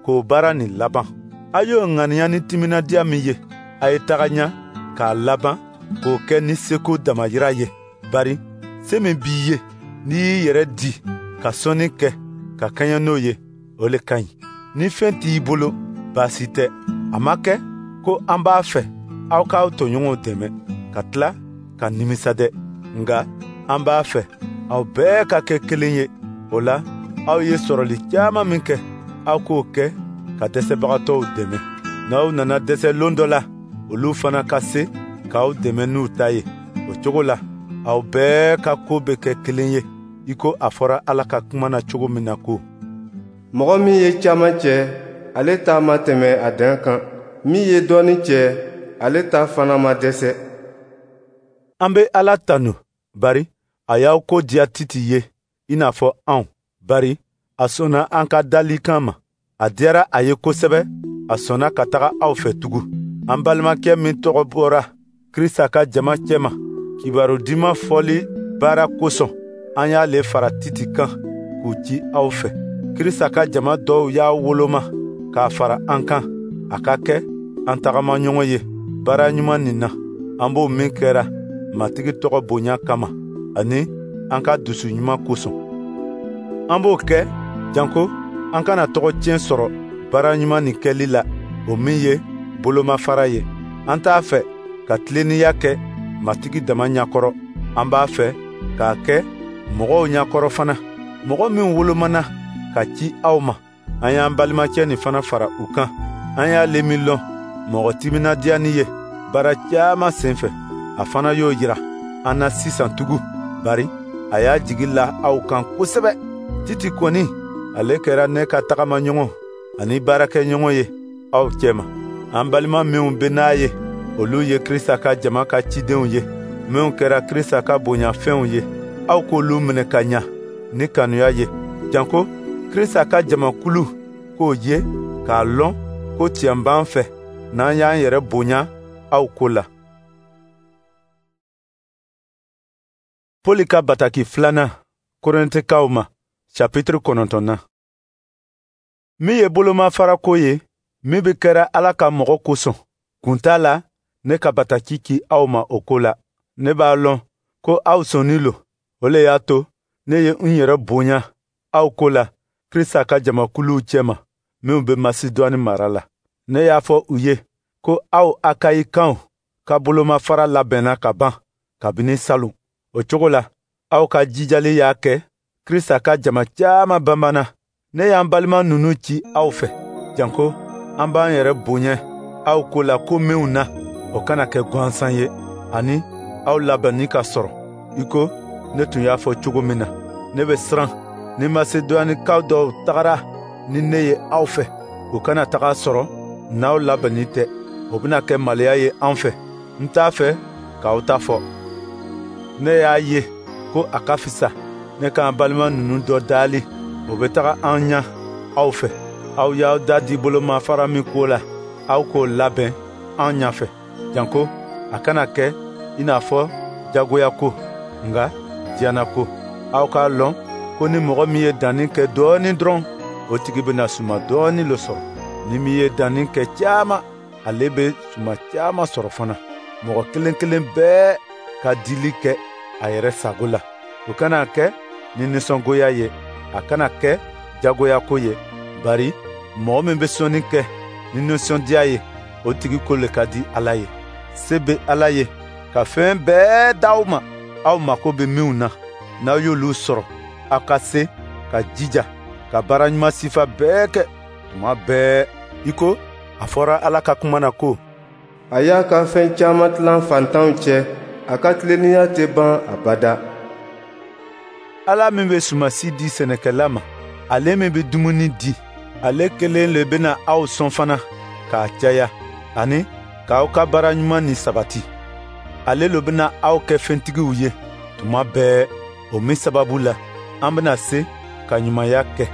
k'o baara nin laban. Aw y'o ŋaniya ni timinadiya min ye, a ye taga ɲa k'a laban k'o kɛ ni seko damayira ye. Bari se min b'i ye, n'i y'i yɛrɛ di ka sɔnni kɛ ka kɛɲɛ n'o ye, o le ka ɲi. Ni fɛn t'i bolo, baasi tɛ. A ma kɛ ko an b'a fɛ aw k'aw tɔɲɔgɔnw dɛmɛ ka tila ka nimisa dɛ, nka an b'a fɛ aw bɛɛ ka kɛ kelen ye. O la, aw ye sɔrɔli caman min kɛ, aw k'o kɛ ka dɛsɛbagatɔw dɛmɛ. N'aw nana dɛsɛ lon dɔ la, olu fana ka se k'aw dɛmɛ n'u ta ye. O cogo la, aw bɛɛ ka ko bɛ kɛ kelen ye, i ko a fɔra Ala ka kuma na cogo min na ko: Mɔgɔ min ye caman cɛ, ale ta ma tɛmɛ a dan kan. Min ye dɔɔnin cɛ, ale ta fana ma dɛsɛ. An bɛ Ala tanu, bari a y'aw ko diya Titi ye i n'a fɔ anw, bari a sɔnna an ka dalikan ma. A diyara a ye kosɛbɛ, a sɔnna ka taga aw fɛ tugun. An balimakɛ min tɔgɔ bɔra Krista ka jama cɛma kibaru duman fɔli baara kosɔn, an y'ale fara Titi kan k'u ci aw fɛ. Krista ka jama dɔw y'a woloma k'a fara an kan, a ka kɛ an tagamaɲɔgɔn ye baara ɲuman nin na, an b'o min kɛra Matigi tɔgɔ bonya kama ani an ka dusu ɲuman kosɔn. An b'o kɛ janko an kana tɔgɔ tiɲɛ sɔrɔ baara ɲuman nin kɛli la, o min ye bolomafara ye. An t'a fɛ ka tilennenya kɛ Matigi dama ɲɛkɔrɔ, an b'a fɛ k'a kɛ mɔgɔw ɲɛkɔrɔ fana. Mɔgɔ min wolomana ka ci aw ma, an y'an balimacɛ nin fana fara u kan. An y'ale min lɔn mɔgɔ timinadiyani ye baara caman senfɛ, a fana y'o jira an na sisan tugun, bari a y'a jigi la aw kan kosɛbɛ. Titi kɔni, ale kɛra ne ka tagamaɲɔgɔn ani baarakɛɲɔgɔn ye aw cɛma. An balima minw bɛ n'a ye, olu ye Krista ka jama ka cidenw ye, minw kɛra Krista ka bonyafɛnw ye. Aw k'olu minɛ ka ɲa ni kanuya ye, janko Krista ka jamakulu k'o ye k'a lɔn ko tiɲɛ b'an fɛ n'an y'an yɛrɛ bonya aw ko la. Poli ka bataki filanan Korɛntikaw ma, chapitre 9. Min ye bolomafarako ye, min bɛ kɛra Ala ka mɔgɔ kosɔn, kun t'a la ne ka bataki ci aw ma o ko la. Ne b'a lɔn ko aw sɔnnin lo, o le y'a to ne ye n yɛrɛ bonya aw ko la Krista ka jamakuluw cɛma minw bɛ Masidwani mara la. Ne y'a fɔ u ye ko aw Akayikaw ka bolomafara labɛnna ka ban kabini salon. O cogo la, aw ka jijali y'a kɛ Krista ka jama caman banbana. Ne y'an balima ninnu ci aw fɛ, janko an b'an yɛrɛ bonya aw ko la ko minw na, o kana kɛ gansan ye, ani aw labɛnni ka sɔrɔ i ko ne tun y'a fɔ cogo min na. Ne bɛ siran ni Masedwanikaw dɔw tagara ni ne ye aw fɛ, u kana taga sɔrɔ n'aw labɛnni tɛ. O bɛna kɛ maloya ye an fɛ. N t'a fɛ k'aw ta fɔ. Ne y'a ye ko a ka fisa ne k'an balima ninnu dɔ dali, o bɛ taga an ɲa aw fɛ. Aw y'aw da di bolomafara min ko la, aw k'o labɛn an ɲɛfɛ, janko a kana kɛ i n'a fɔ jagoya ko, nka diyanna ko. Aw k'a lɔn ko ni mɔgɔ min ye danni kɛ dɔɔnin dɔrɔn, o tigi bɛna suma dɔɔnin le sɔrɔ. Ni min ye danni kɛ caman, ale bɛ suma caman sɔrɔ fana. Mɔgɔ kelen kelen bɛɛ ka dili kɛ a yɛrɛ sago la. O kana kɛ ni nisɔngoya ye, a kana kɛ jagoya ko ye, bari mɔgɔ min bɛ sɔnni kɛ ni nisɔndiya ye, o tigi ko le ka di Ala ye. Se bɛ Ala ye ka fɛn bɛɛ d'aw ma, aw mako bɛ minw na. N'aw y'olu sɔrɔ, aw ka se ka jija ka baara ɲuman sifa bɛɛ kɛ tuma bɛɛ, i ko a fɔra Ala ka kuma na ko: A y'a ka fɛn caman tilan faantanw cɛ, a ka tilennenya tɛ ban abada. Ala min bɛ sumasi di sɛnɛkɛla ma, ale min bɛ dumuni di, ale kelen le bɛna aw sɔn fana k'a caya, ani k'aw ka baara ɲuman nin sabati. Ale le bɛna aw kɛ fɛntigiw ye tuma bɛɛ, o min sababu la, an bɛna se ka ɲumanya kɛ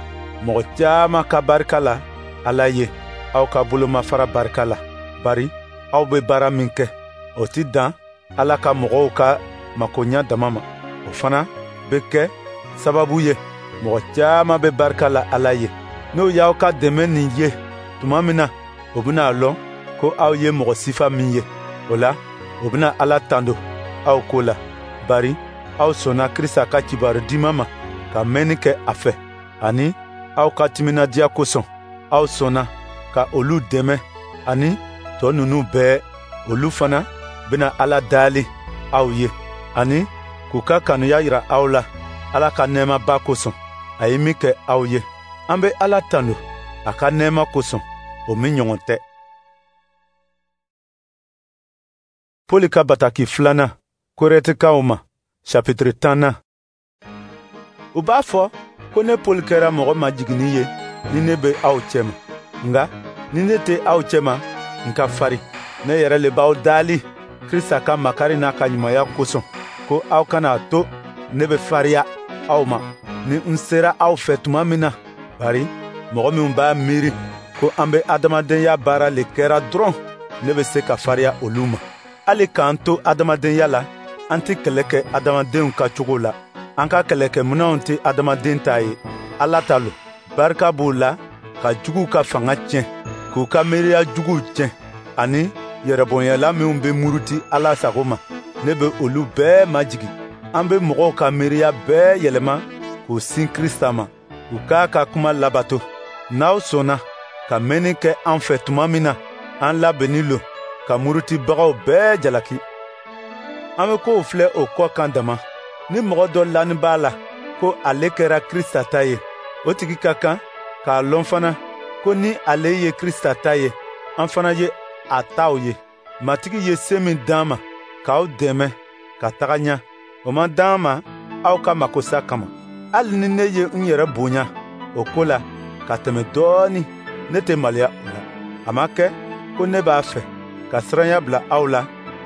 mɔgɔ caman ka barika la Ala ye, aw ka bolomafara barika la. Bari aw bɛ baara min kɛ, o tɛ dan Ala ka mɔgɔw ka makoɲa dama ma, o fana bɛ kɛ sababu ye mɔgɔ caman bɛ barika la Ala ye. N'o y'aw ka dɛmɛ nin ye tuma min na, o bɛna a lɔn ko aw ye mɔgɔ sifa min ye. O la, o bɛna Ala tando aw ko la, bari aw sɔnna Krista ka kibaru diman ma ka mɛnni kɛ a fɛ, ani aw ka timinadiya kosɔn, aw sɔnna ka olu dɛmɛ, ani tɔ ninnu bɛɛ, olu fana bɛna Ala daali aw ye, ani k'u ka kanuya yira aw la Ala ka nɛɛmaba kosɔn, a ye min kɛ aw ye. An bɛ Ala tando a ka nɛɛma kosɔn, o min ɲɔgɔn tɛ. Poli ka bataki filanan Korɛntikaw ma, chapitre 10nan. U b'a fɔ ko ne Poli kɛra mɔgɔ majiginni ye ni ne bɛ aw cɛma. Nka ni ne tɛ aw cɛma, n ka fari. Ne yɛrɛ le b'aw daali Krista ka makari n'a ka ɲumanya kosɔn, ko aw kana to ne bɛ fariya aw ma ni n sera aw fɛ tuma min na. Bari mɔgɔ minnu b'a miiri ko an bɛ adamadenya baara le kɛra dɔrɔn, ne bɛ se ka fariya olu ma. Hali k'an to adamadenya la, an tɛ kɛlɛ kɛ adamadenw ka cogo la. An ka kɛlɛkɛminɛnw tɛ adamaden ta ye, Ala ta lo. Barika b'u la ka juguw ka fanga tiɲɛ, k'u ka miiriya juguw tiɲɛ, ani yɛrɛbonyala minw bɛ muruti Ala sago ma, ne bɛ olu bɛɛ majigin. An bɛ mɔgɔw ka miiriya bɛɛ yɛlɛma k'u sin Krista ma, u k'a ka kuma labato. N'aw sɔnna ka mɛnni kɛ an fɛ tuma min na, an labɛnnin lo ka murutibagaw bɛɛ jalaki. An bɛ kow filɛ o kɔ kan dama. Ni mɔgɔ dɔ lani b'a la ko ale kɛra Krista ta ye, o tigi ka kan k'a lɔn fana ko ni ale ye Krista ta ye, an fana ye a taw ye. Matigi ye se min d'an ma k'aw dɛmɛ ka taga ɲɛ, o ma d'an ma aw ka makosa kama. Hali ni ne ye n yɛrɛ bonya o ko la ka tɛmɛ dɔɔnin, ne tɛ maloya o la. A ma kɛ ko ne b'a fɛ ka siranya bila aw la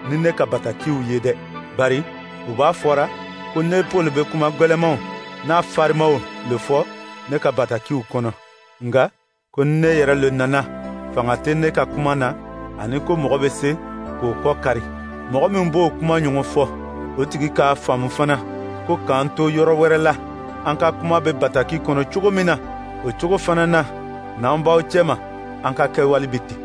ni ne ka batakiw ye dɛ. Bari u b'a fɔra ko ne Poli bɛ kuma gwɛlɛmanw n'a farimaw le fɔ ne ka batakiw kɔnɔ. Nka ko ne yɛrɛ le nana, fanga tɛ ne ka kuma na, ani ko mɔgɔ bɛ se k'o kɔ kari. Mɔgɔ min b'o kuma ɲɔgɔn fɔ, o tigi k'a faamu fana ko k'an to yɔrɔ wɛrɛ la, an ka kuma bɛ bataki kɔnɔ cogo min na, o cogo fana na, n'an b'aw cɛma, an ka kɛwale bɛ ten.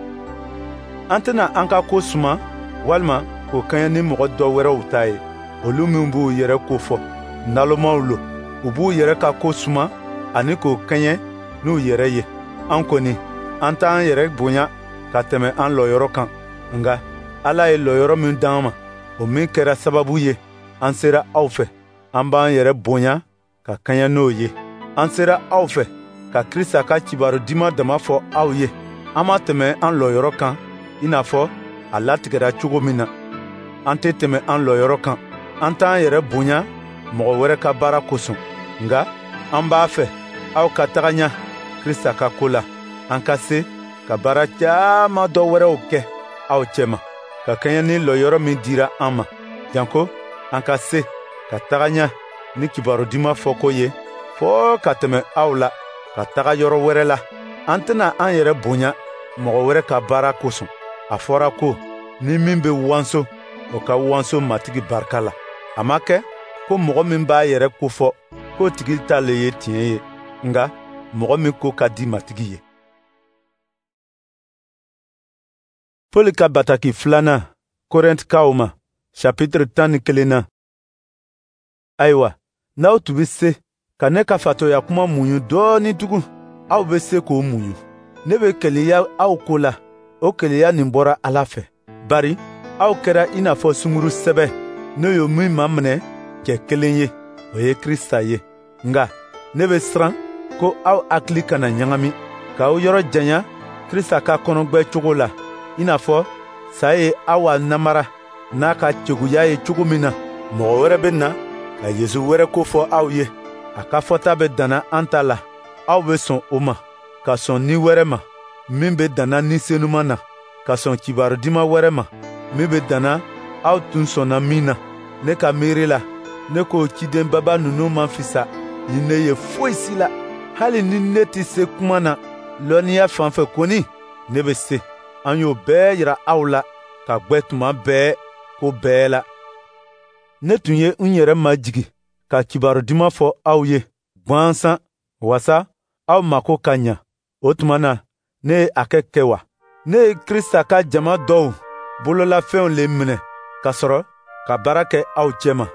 An tɛna an ka ko suma walima k'o kɛɲɛ ni mɔgɔ dɔ wɛrɛw ta ye, olu minw b'u yɛrɛ ko fɔ, nalomaw lo. U b'u yɛrɛ ka ko suma ani k'o kɛɲɛ n'u yɛrɛ ye. An kɔni, an t'an yɛrɛ bonya ka tɛmɛ an lɔyɔrɔ kan. Nka Ala ye lɔyɔrɔ min d'an ma, o min kɛra sababu ye an sera aw fɛ, an b'an yɛrɛ bonya ka kɛɲɛ n'o ye. An sera aw fɛ ka Krista ka kibaru diman dama fɔ aw ye. An ma tɛmɛ an lɔyɔrɔ kan i n'a fɔ a latigɛra cogo min na. An tɛ tɛmɛ an lɔyɔrɔ kan. An t'an yɛrɛ bonya mɔgɔ wɛrɛ ka baara kosɔn. Nka an b'a fɛ aw ka taga ɲɛ Krista ka ko la, an ka se ka baara caman dɔ wɛrɛw kɛ aw cɛma, ka kɛɲɛ ni lɔyɔrɔ min dira an ma, janko an ka se ka taga ɲɛ ni kibaru diman fɔko ye fɔɔ ka tɛmɛ aw la ka taga yɔrɔ wɛrɛ la. An tɛna an yɛrɛ bonya mɔgɔ wɛrɛ ka baara kosɔn. A fɔra ko ni min bɛ wanso, o ka wanso Matigi barika la. A ma kɛ ko mɔgɔ min b'a yɛrɛ kofɔ k'o tigi ta le ye tiɲɛ ye, nka mɔgɔ min ko ka di Matigi ye. Poli ka bataki filanan Korɛntikaw ma, chapitre 11na. Ayiwa, n'aw tun bɛ se ka ne ka fatɔya kuma muɲu dɔɔnin tugun, aw bɛ se k'o muɲu. Ne bɛ keleya aw ko la, o keleya nin bɔra Ala fɛ. Bari Aw kɛra i n'a fɔ sunguru sɛbɛ, ne y'o min maminɛ cɛ kelen ye, o ye Krista ye. Nka ne bɛ siran ko aw hakili kana ɲagami, k'aw yɔrɔ janya Krista ka kɔnɔgbɛ cogo la, i n'a fɔ sa ye Awa namara n'a ka cɛguya ye cogo min na. Mɔgɔ wɛrɛ bɛ na ka Yesu wɛrɛ ko fɔ aw ye. A ka fɔta bɛ danna an ta la. Aw bɛ sɔn o ma, ka sɔn ni wɛrɛ ma min bɛ danna Ni Senuma na, ka sɔn kibaru diman wɛrɛ ma min bɛ danna aw tun sɔnna min na. Ne ka miiri la, ne k'o cidenbaba ninnu man fisa ni ne ye foyi si la. Hali ni ne tɛ se kuma na, lɔnniya fan fɛ kɔni, ne bɛ se. An y'o bɛɛ yira aw la ka gwɛ tuma bɛɛ ko bɛɛ la. Ne tun ye n yɛrɛ majigin ka kibaru duman fɔ aw ye gwansan, wasa aw mako ka ɲa. O tuma na, ne ye a kɛ kɛ wa? Ne ye Krista ka jama dɔw bololafɛnw le minɛ ka sɔrɔ ka baara kɛ aw cɛma.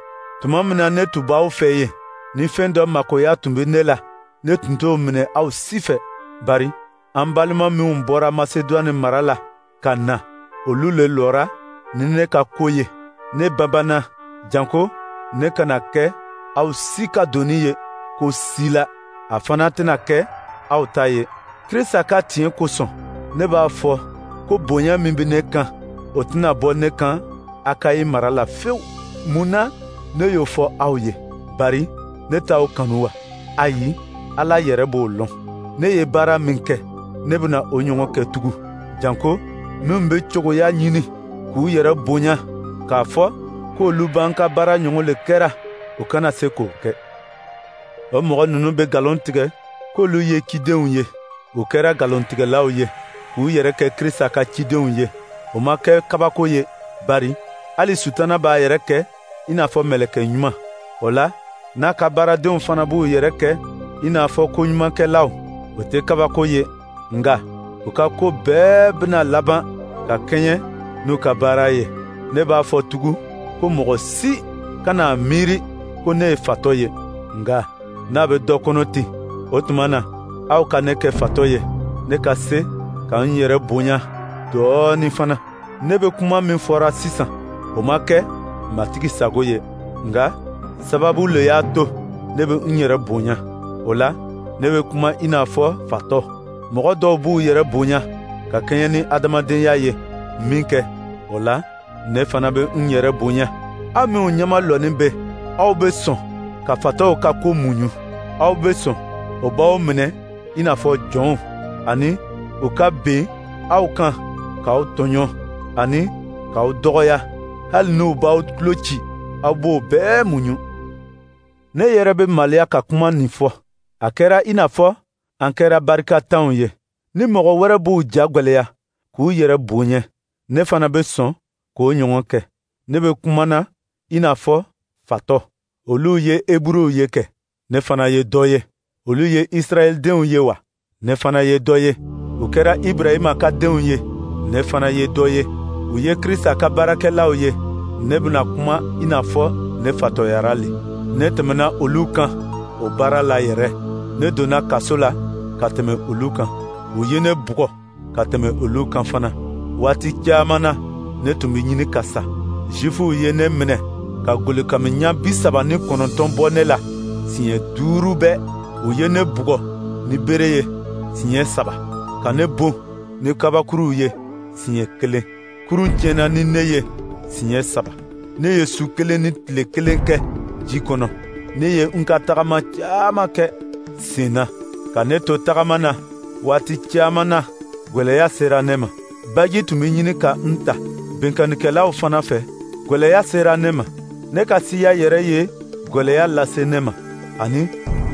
Tuma min na ne tun b'aw fɛ yen, ni fɛn dɔ makoya tun bɛ ne la, ne tun t'o minɛ aw si fɛ. Bari an balima minw bɔra Masedwane mara la ka na, olu le lɔra ni ne ka ko ye. Ne banbanna, janko ne kana kɛ aw si ka doni ye ko si la, a fana tɛna kɛ aw ta ye. Krista ka tiɲɛ kosɔn, ne b'a fɔ ko bonya min bɛ ne kan, o tɛna bɔ ne kan Akayi mara la fewu. Mun na ne y'o fɔ aw ye? Bari ne t'aw kanu wa? Ayi, Ala yɛrɛ b'o lɔn. Ne ye baara min kɛ, ne bɛna o ɲɔgɔn kɛ tugun. Janko minnu bɛ cogoya ɲini k'u yɛrɛ bonya k'a fɔ k'olu b'an ka baara ɲɔgɔn le kɛra, u kana se k'o kɛ. O mɔgɔ ninnu bɛ nkalon tigɛ k'olu ye cidenw ye. U kɛra nkalontigɛlaw ye, k'u yɛrɛ kɛ Krista ka cidenw ye. O ma kɛ kabako ye, bari hali Sutana b'a yɛrɛ kɛ i n'a fɔ mɛlɛkɛ ɲuman. O la, n'a ka baaradenw fana b'u yɛrɛ kɛ i n'a fɔ koɲumankɛlaw, o tɛ kabako ye. Nka u ka ko bɛɛ bɛna laban ka kɛɲɛ n'u ka baara ye. Ne b'a fɔ tugun ko mɔgɔ si kana miiri ko ne ye fatɔ ye. Nka n'a bɛ dɔ kɔnɔ ten, o tuma na aw ka ne kɛ fatɔ ye, ne ka se ka n yɛrɛ bonya dɔɔnin fana. Ne bɛ kuma min fɔra sisan, o ma kɛ Matigi sago ye, nka sababu le y'a to ne bɛ n yɛrɛ bonya. O la, ne bɛ kuma i n'a fɔ fatɔ. Mɔgɔ dɔw b'u yɛrɛ bonya ka kɛɲɛ ni adamadenya ye min kɛ, o la, ne fana bɛ n yɛrɛ bonya. Aw minnu ɲɛmalɔnnen bɛ, aw bɛ sɔn ka fatɔw ka ko muɲu. Aw bɛ sɔn o b'aw minɛ i n'a fɔ jɔnw, ani u ka ben aw kan k'aw tɔɲɔ ani k'aw dɔgɔya, hali n'u b'aw tulo ci, aw b'o bɛɛ muɲu. Ne yɛrɛ bɛ maloya ka kuma nin fɔ. A kɛra i n'a fɔ an kɛra barikatanw ye. Ni mɔgɔ wɛrɛ b'u ja gwɛlɛya k'u yɛrɛ bonya, ne fana bɛ sɔn k'o ɲɔgɔn kɛ. Ne bɛ kuma na i n'a fɔ fatɔ. Olu ye Eburuw ye kɛ, ne fana ye dɔ ye. Olu ye Israɛldenw ye wa? Ne fana ye dɔ ye. U kɛra Ibrahima ka denw ye, ne fana ye dɔ ye. U ye Krista ka baarakɛlaw ye, ne bɛna kuma i n'a fɔ ne fatɔyara le. Ne tɛmɛna olu kan o baara la yɛrɛ. Ne donna kaso la ka tɛmɛ olu kan. U ye ne bugɔ ka tɛmɛ olu kan fana. Waati caman na, ne tun bɛ ɲini ka sa. Zifuw ye ne minɛ ka golokamiɲa 39 bɔ ne la siɲɛ 5 bɛɛ. U ye ne bugɔ ni bere ye siɲɛ 3, ka ne bon ni kabakuruw ye siɲɛ 1. Kurun tiɲɛna ni ne ye siɲɛ 3. Ne ye su kelen ni tile kelen kɛ ji kɔnɔ. Ne ye n ka tagama caman kɛ sen na. Ka ne to tagama na waati caman na, gwɛlɛya sera ne ma. Baji tun bɛ ɲini ka n ta binkannikɛlaw fana fɛ. Gwɛlɛya sera ne ma. Ne ka siya yɛrɛ ye gwɛlɛya lase ne ma, ani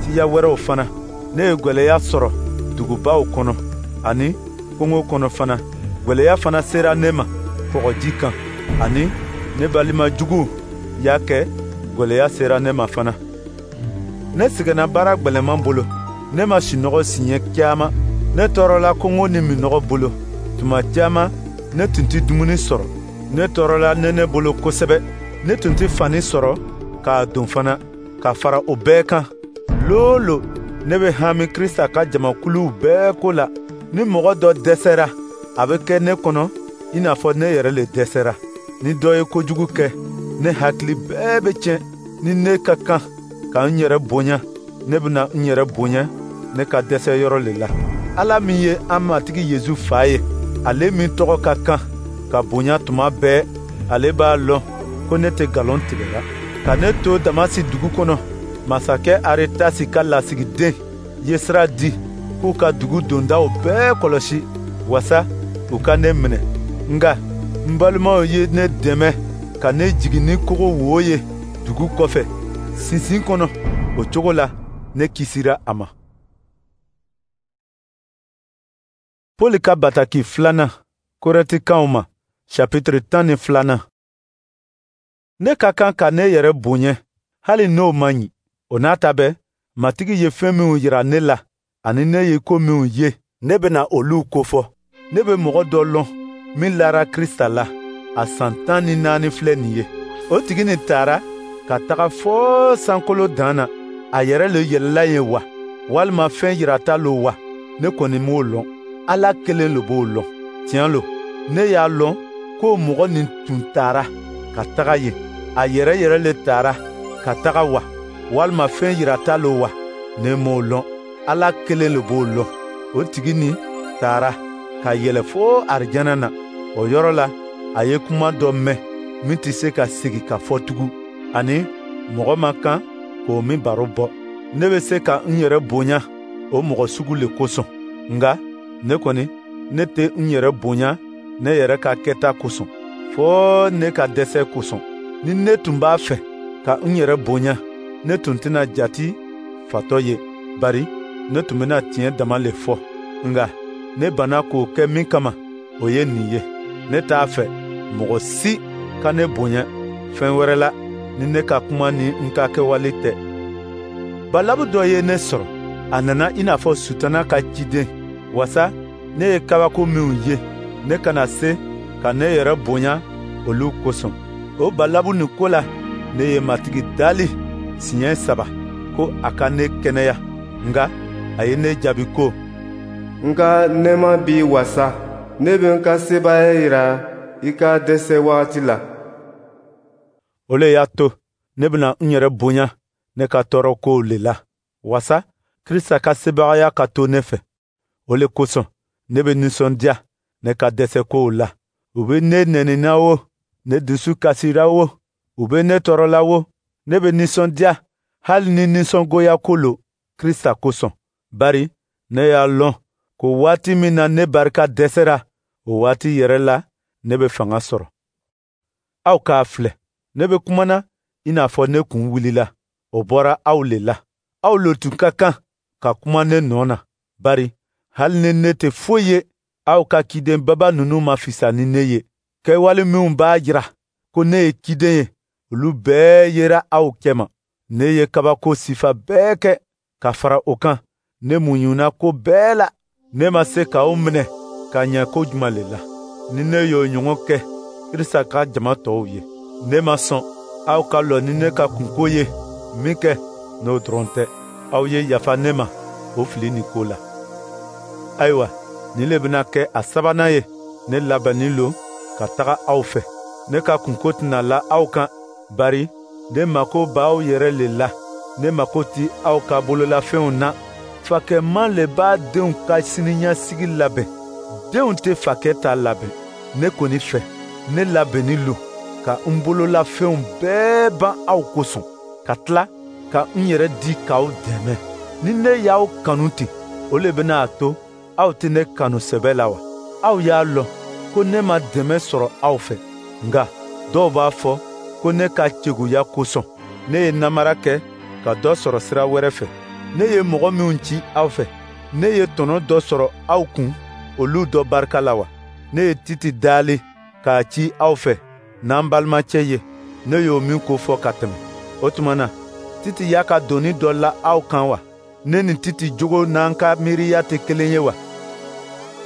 siya wɛrɛw fana. Ne ye gwɛlɛya sɔrɔ dugubaw kɔnɔ ani kungo kɔnɔ fana. Gwɛlɛya fana sera ne ma kɔgɔji kan, ani ne balima juguw y'a kɛ gwɛlɛya sera ne ma fana. Ne sɛgɛnna baara gwɛlɛman bolo. Ne ma sunɔgɔ siɲɛ caman. Ne tɔɔrɔla kɔngɔ ni minnɔgɔ bolo. Tuma caman ne tun tɛ dumuni sɔrɔ. Ne tɔɔrɔla nɛnɛ bolo kosɛbɛ. Ne tun tɛ fani sɔrɔ k'a don fana. Ka fara o bɛɛ kan, lolo ne bɛ hami Krista ka jamakuluw bɛɛ ko la. Ni mɔgɔ dɔ dɛsɛra, a bɛ kɛ ne kɔnɔ i n'a fɔ ne yɛrɛ le dɛsɛra. Ni dɔ ye kojugu kɛ, ne hakili bɛɛ bɛ tiɲɛ. Ni ne ka kan ka n yɛrɛ bonya, ne bɛna n yɛrɛ bonya ne ka dɛsɛ yɔrɔ le la. Ala min ye an Matigi Yezu fa ye, ale min tɔgɔ ka kan ka bonya tuma bɛɛ, ale b'a lɔn ko ne tɛ nkalon tigɛla. Ka ne to Damasi dugu kɔnɔ, masakɛ Aretasi ka lasigiden ye sira di k'u ka dugu dondaw bɛɛ kɔlɔsi wasa u ka ne minɛ. Nka n balimaw ye ne dɛmɛ ka ne jigin ni kogo wo ye dugu kɔfɛ, sinsin kɔnɔ. O cogo la, ne kisira a ma. Pɔli ka bataki filanan Korɛntikaw ma, chapitre 12. Ne ka kan ka ne yɛrɛ bonya, hali n'o man ɲi. O n'a ta bɛɛ, Matigi ye fɛn minw yira ne la, ani ne ye ko minw ye, ne bɛna olu kofɔ. Ne bɛ mɔgɔ dɔ lɔn min lara Krista la, a san 14 filɛ nin ye. O tigi nin taara ka taga fɔɔ sankolo dan na. A yɛrɛ le yɛlɛla yen wa, walima fɛn yirata lo wa, ne kɔni m'o lɔn. Ala kelen le b'o lɔn. Tiɲɛ lo, ne y'a lɔn k'o mɔgɔ nin tun taara ka taga yen. A yɛrɛ yɛrɛ le taara ka taga wa, walima fɛn yirata lo wa, ne m'o lɔn. Ala kelen le b'o lɔn. O tigi nin taara ka yɛlɛ fo arijana na. O yɔrɔ la, a ye kuma dɔ mɛn min tɛ se ka segin ka fɔ tugun, ani mɔgɔ man kan k'o min baro bɔ. Ne bɛ se ka n yɛrɛ bonya o mɔgɔ sugu le kosɔn. Nka ne kɔni, ne tɛ n yɛrɛ bonya ne yɛrɛ ka kɛta kosɔn, fɔɔ ne ka dɛsɛ kosɔn. Ni ne tun b'a fɛ ka n yɛrɛ bonya, ne tun tɛna jati fatɔ ye, bari ne tun bɛna tiɲɛ dama le fɔ. Nka ne banna k'o kɛ min kama, o ye nin ye: ne t'a fɛ mɔgɔ si ka ne bonya fɛn wɛrɛ la ni ne ka kuma ni n ka kɛwale tɛ. Balabu dɔ ye ne sɔrɔ, a nana i n'a fɔ Sutana ka ciden, wasa ne ye kabako minw ye, ne kana se ka ne yɛrɛ bonya olu kosɔn. O balabu nin ko la, ne ye Matigi dali siɲɛ 3 ko a ka ne kɛnɛya. Nka a ye ne jaabi ko: N ka nɛɛma b'i wasa, ne bɛ n ka sebaaya yira i ka dɛsɛ wagati la. O le y'a to ne bɛna n yɛrɛ bonya ne ka tɔɔrɔ kow le la, wasa Krista ka sebagaya ka to ne fɛ. O le kosɔn ne bɛ nisɔndiya ne ka dɛsɛ kow la. U bɛ ne nɛnina o, ne dusu kasira o, u bɛ ne tɔɔrɔla o, ne bɛ nisɔndiya hali ni nisɔngoya ko lo Krista kosɔn. Bari ne y'a lɔn ko waati min na ne barika dɛsɛra, o waati yɛrɛ la ne bɛ fanga sɔrɔ. Aw k'a filɛ, ne bɛ kumana i n'a fɔ ne kun wulila. O bɔra aw le la. Aw le tun ka kan ka kuma ne nɔ na, bari hali ni ne tɛ foyi ye, aw ka ciden baba ninnu ma fisa ni ne ye. Kɛwale minw b'a jira ko ne ye ciden ye, olu bɛɛ yera aw cɛma. Ne ye kabako sifa bɛɛ kɛ ka fara o kan. Ne muɲuna ko bɛɛ la. Ne ma se k'aw minɛ ka ɲɛ ko juman le la, ni ne y'o ɲɔgɔn kɛ Krista ka jama tɔw ye. Ne ma sɔn aw ka lɔ ni ne ka kunko ye min kɛ, n'o dɔrɔn tɛ. Aw ye yafa ne ma o fili nin ko la. Ayiwa, nin le bɛna kɛ a sabanan ye. Ne labɛnnin lo ka taga aw fɛ. Ne ka kunko tɛna la aw kan, bari ne mako b'aw yɛrɛ le la. Ne mako ti aw ka bololafɛnw na. Fakɛman le b'a denw ka siniɲɛsigi labɛn. Denw tɛ fakɛ ta labɛn. Ne kɔni fɛ, ne labɛnnin lo ka n bololafɛnw bɛɛ ban aw kosɔn, ka tila ka n yɛrɛ di k'aw dɛmɛ. Ni ne y'aw kanu ten, o le bɛna a to aw tɛ ne kanu sɛbɛ la wa? Aw y'a lɔn ko ne ma dɛmɛ sɔrɔ aw fɛ. Nka dɔw b'a fɔ ko ne ka ceguya kosɔn, ne ye namara kɛ ka dɔ sɔrɔ sira wɛrɛ fɛ. Ne ye mɔgɔ minw ci aw fɛ, ne ye tɔnɔ dɔ sɔrɔ aw kun olu dɔ barika la wa? Ne ye Titi dali k'a ci aw fɛ n'an balimacɛ ye, ne y'o min ko fɔ ka tɛmɛ. O tuma na, Titi y'a ka doni dɔ la aw kan wa? Ne ni Titi jogo n'an ka miiriya tɛ kelen ye wa?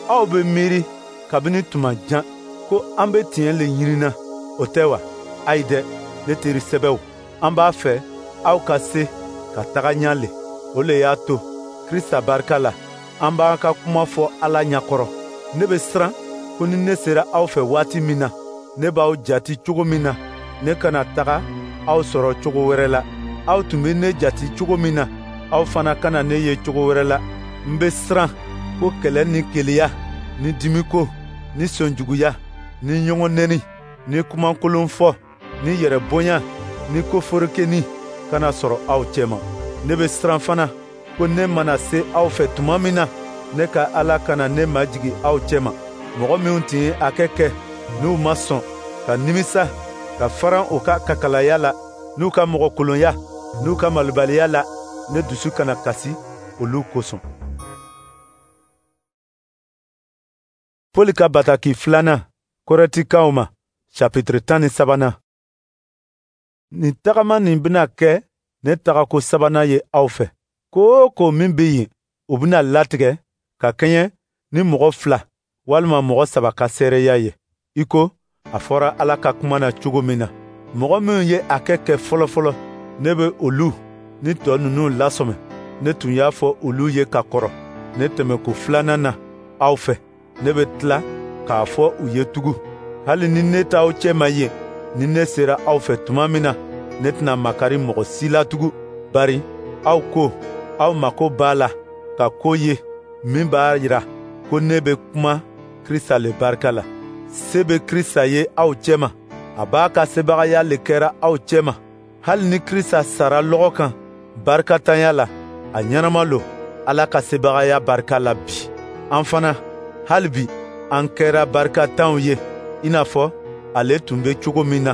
Aw bɛ miiri kabini tuma jan ko an bɛ tiɲɛ le ɲinina, o tɛ wa? Ayi dɛ, ne teri sɛbɛw, an b'a fɛ aw ka se ka taga ɲɛ le. O le y'a to Krista barika la, an b'an ka kuma fɔ Ala ɲɛkɔrɔ. Ne bɛ siran ko ni ne sera aw fɛ waati min na, Ne b'aw jati cogo min na, ne kana taga aw sɔrɔ cogo wɛrɛ la. Aw tun bɛ ne jati cogo min na, aw fana kana ne ye cogo wɛrɛ la. N bɛ siran ko kɛlɛ ni keleya ni dimiko ni sɔnjuguya ni ɲɔgɔn nɛni ni kumakolon fɔ ni yɛrɛbonya ni koforokeni kana sɔrɔ aw cɛma. Ne bɛ siran fana ko ne mana se aw fɛ tuma min na, ne ka Ala kana ne majigin aw cɛma. Mɔgɔ minnu tun ye a kɛ n'u ma sɔn ka nimisa ka faran u ka kakalaya la, n'u ka mɔgɔkolonya n'u ka malobaliya la, ne dusu kana kasi olu kosɔn. Pɔli ka bataki filanan Kɔrɛntikaw ma, chapitre 13nan. Nin tagama nin bɛna kɛ ne tagako sabanan ye aw fɛ. Ko o ko min bɛ yen, o bɛna latigɛ ka kɛɲɛ ni mɔgɔ 2 walima mɔgɔ 3 ka seereya ye, i ko a fɔra Ala ka kuma na cogo min na. Mɔgɔ minnu ye a kɛ fɔlɔfɔlɔ, ne bɛ olu ni tɔ ninnu lasɔmɛ. Ne tun y'a fɔ olu ye ka kɔrɔ ne tɛmɛko filanan na aw fɛ. Ne bɛ tila k'a fɔ u ye tugun, hali ni ne t'aw cɛma yen, ni ne sera aw fɛ tuma min na, ne tɛna makari mɔgɔ si la tugun, bari aw ko aw mako b'a la ka ko ye min b'a jira ko ne bɛ kuma Krista le barika la. Se bɛ Krista ye aw cɛma, a b'a ka sebagaya le kɛra aw cɛma. Hali ni Krista sara lɔgɔ kan barikatanya la, a ɲɛnama lo Ala ka sebagaya barika la bi. An fana, hali bi, an kɛra barikatanw ye, i n'a fɔ ale tun bɛ cogo min na.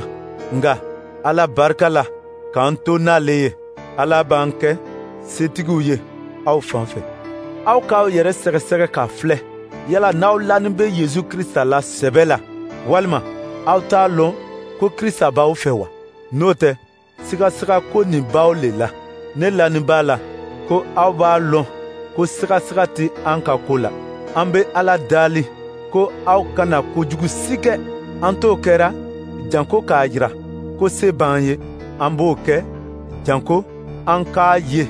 Nka Ala barika la, k'an to n'ale ye, Ala b'an kɛ setigiw ye aw fan fɛ. Aw k'aw yɛrɛ sɛgɛsɛgɛ k'a filɛ, yala n'aw lanin bɛ Yesu Krista la sɛbɛ la, walima aw t'a lɔn ko Krista b'aw fɛ wa? N'o tɛ, sigasiga ko nin b'aw le la. Ne lanin b'a la ko aw b'a lɔn ko sigasiga tɛ an ka ko la. An bɛ Ala dali ko aw kana kojugu si kɛ. An t'o kɛra janko k'a jira ko se b'an ye. An b'o kɛ janko an k'a ye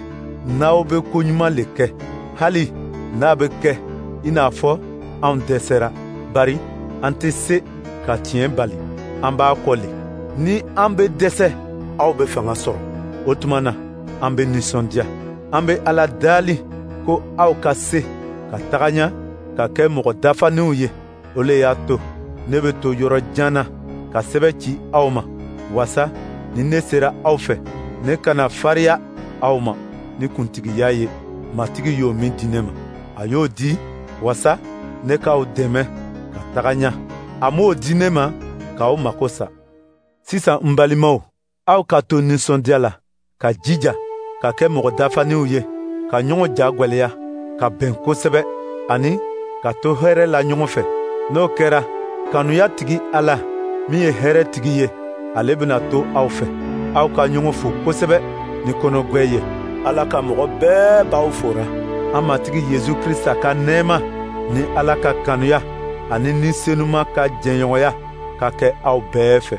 n'aw bɛ koɲuman le kɛ, hali n'a bɛ kɛ i n'a fɔ anw dɛsɛra, bari an tɛ se ka tiɲɛ bali, an b'a kɔ le. Ni an bɛ dɛsɛ, aw bɛ fanga sɔrɔ. O tuma na, an bɛ nisɔndiya. An bɛ Ala dali ko aw ka se ka taga ɲɛ ka kɛ mɔgɔ dafaninw ye. O le y'a to ne bɛ to yɔrɔ jan na ka sɛbɛn ci aw ma, wasa ni ne sera aw fɛ, ne kana fariya aw ma ni kuntigiya ye Matigi y'o min di ne ma. A y'o di wasa ne k'aw dɛmɛ ka taga ɲɛ. A m'o di ne ma k'aw mako sa. Sisan n balimaw, aw ka to nisɔndiya la, ka jija ka kɛ mɔgɔ dafaninw ye, ka ɲɔgɔn ja gwɛlɛya, ka bɛn kosɛbɛ, ani ka to hɛrɛ la ɲɔgɔn fɛ. N'o kɛra, kanuya tigi Ala min ye hɛrɛ tigi ye, ale bɛna to aw fɛ. Aw ka ɲɔgɔn fo kosɛbɛ ni kɔnɔgwɛ ye. Ala ka mɔgɔ bɛɛ b'aw fora. An Matigi Yesu Krista ka nɛɛma ni Ala ka kanuya ani Ni Senuma ka jɛɲɔgɔnya ka kɛ aw bɛɛ fɛ.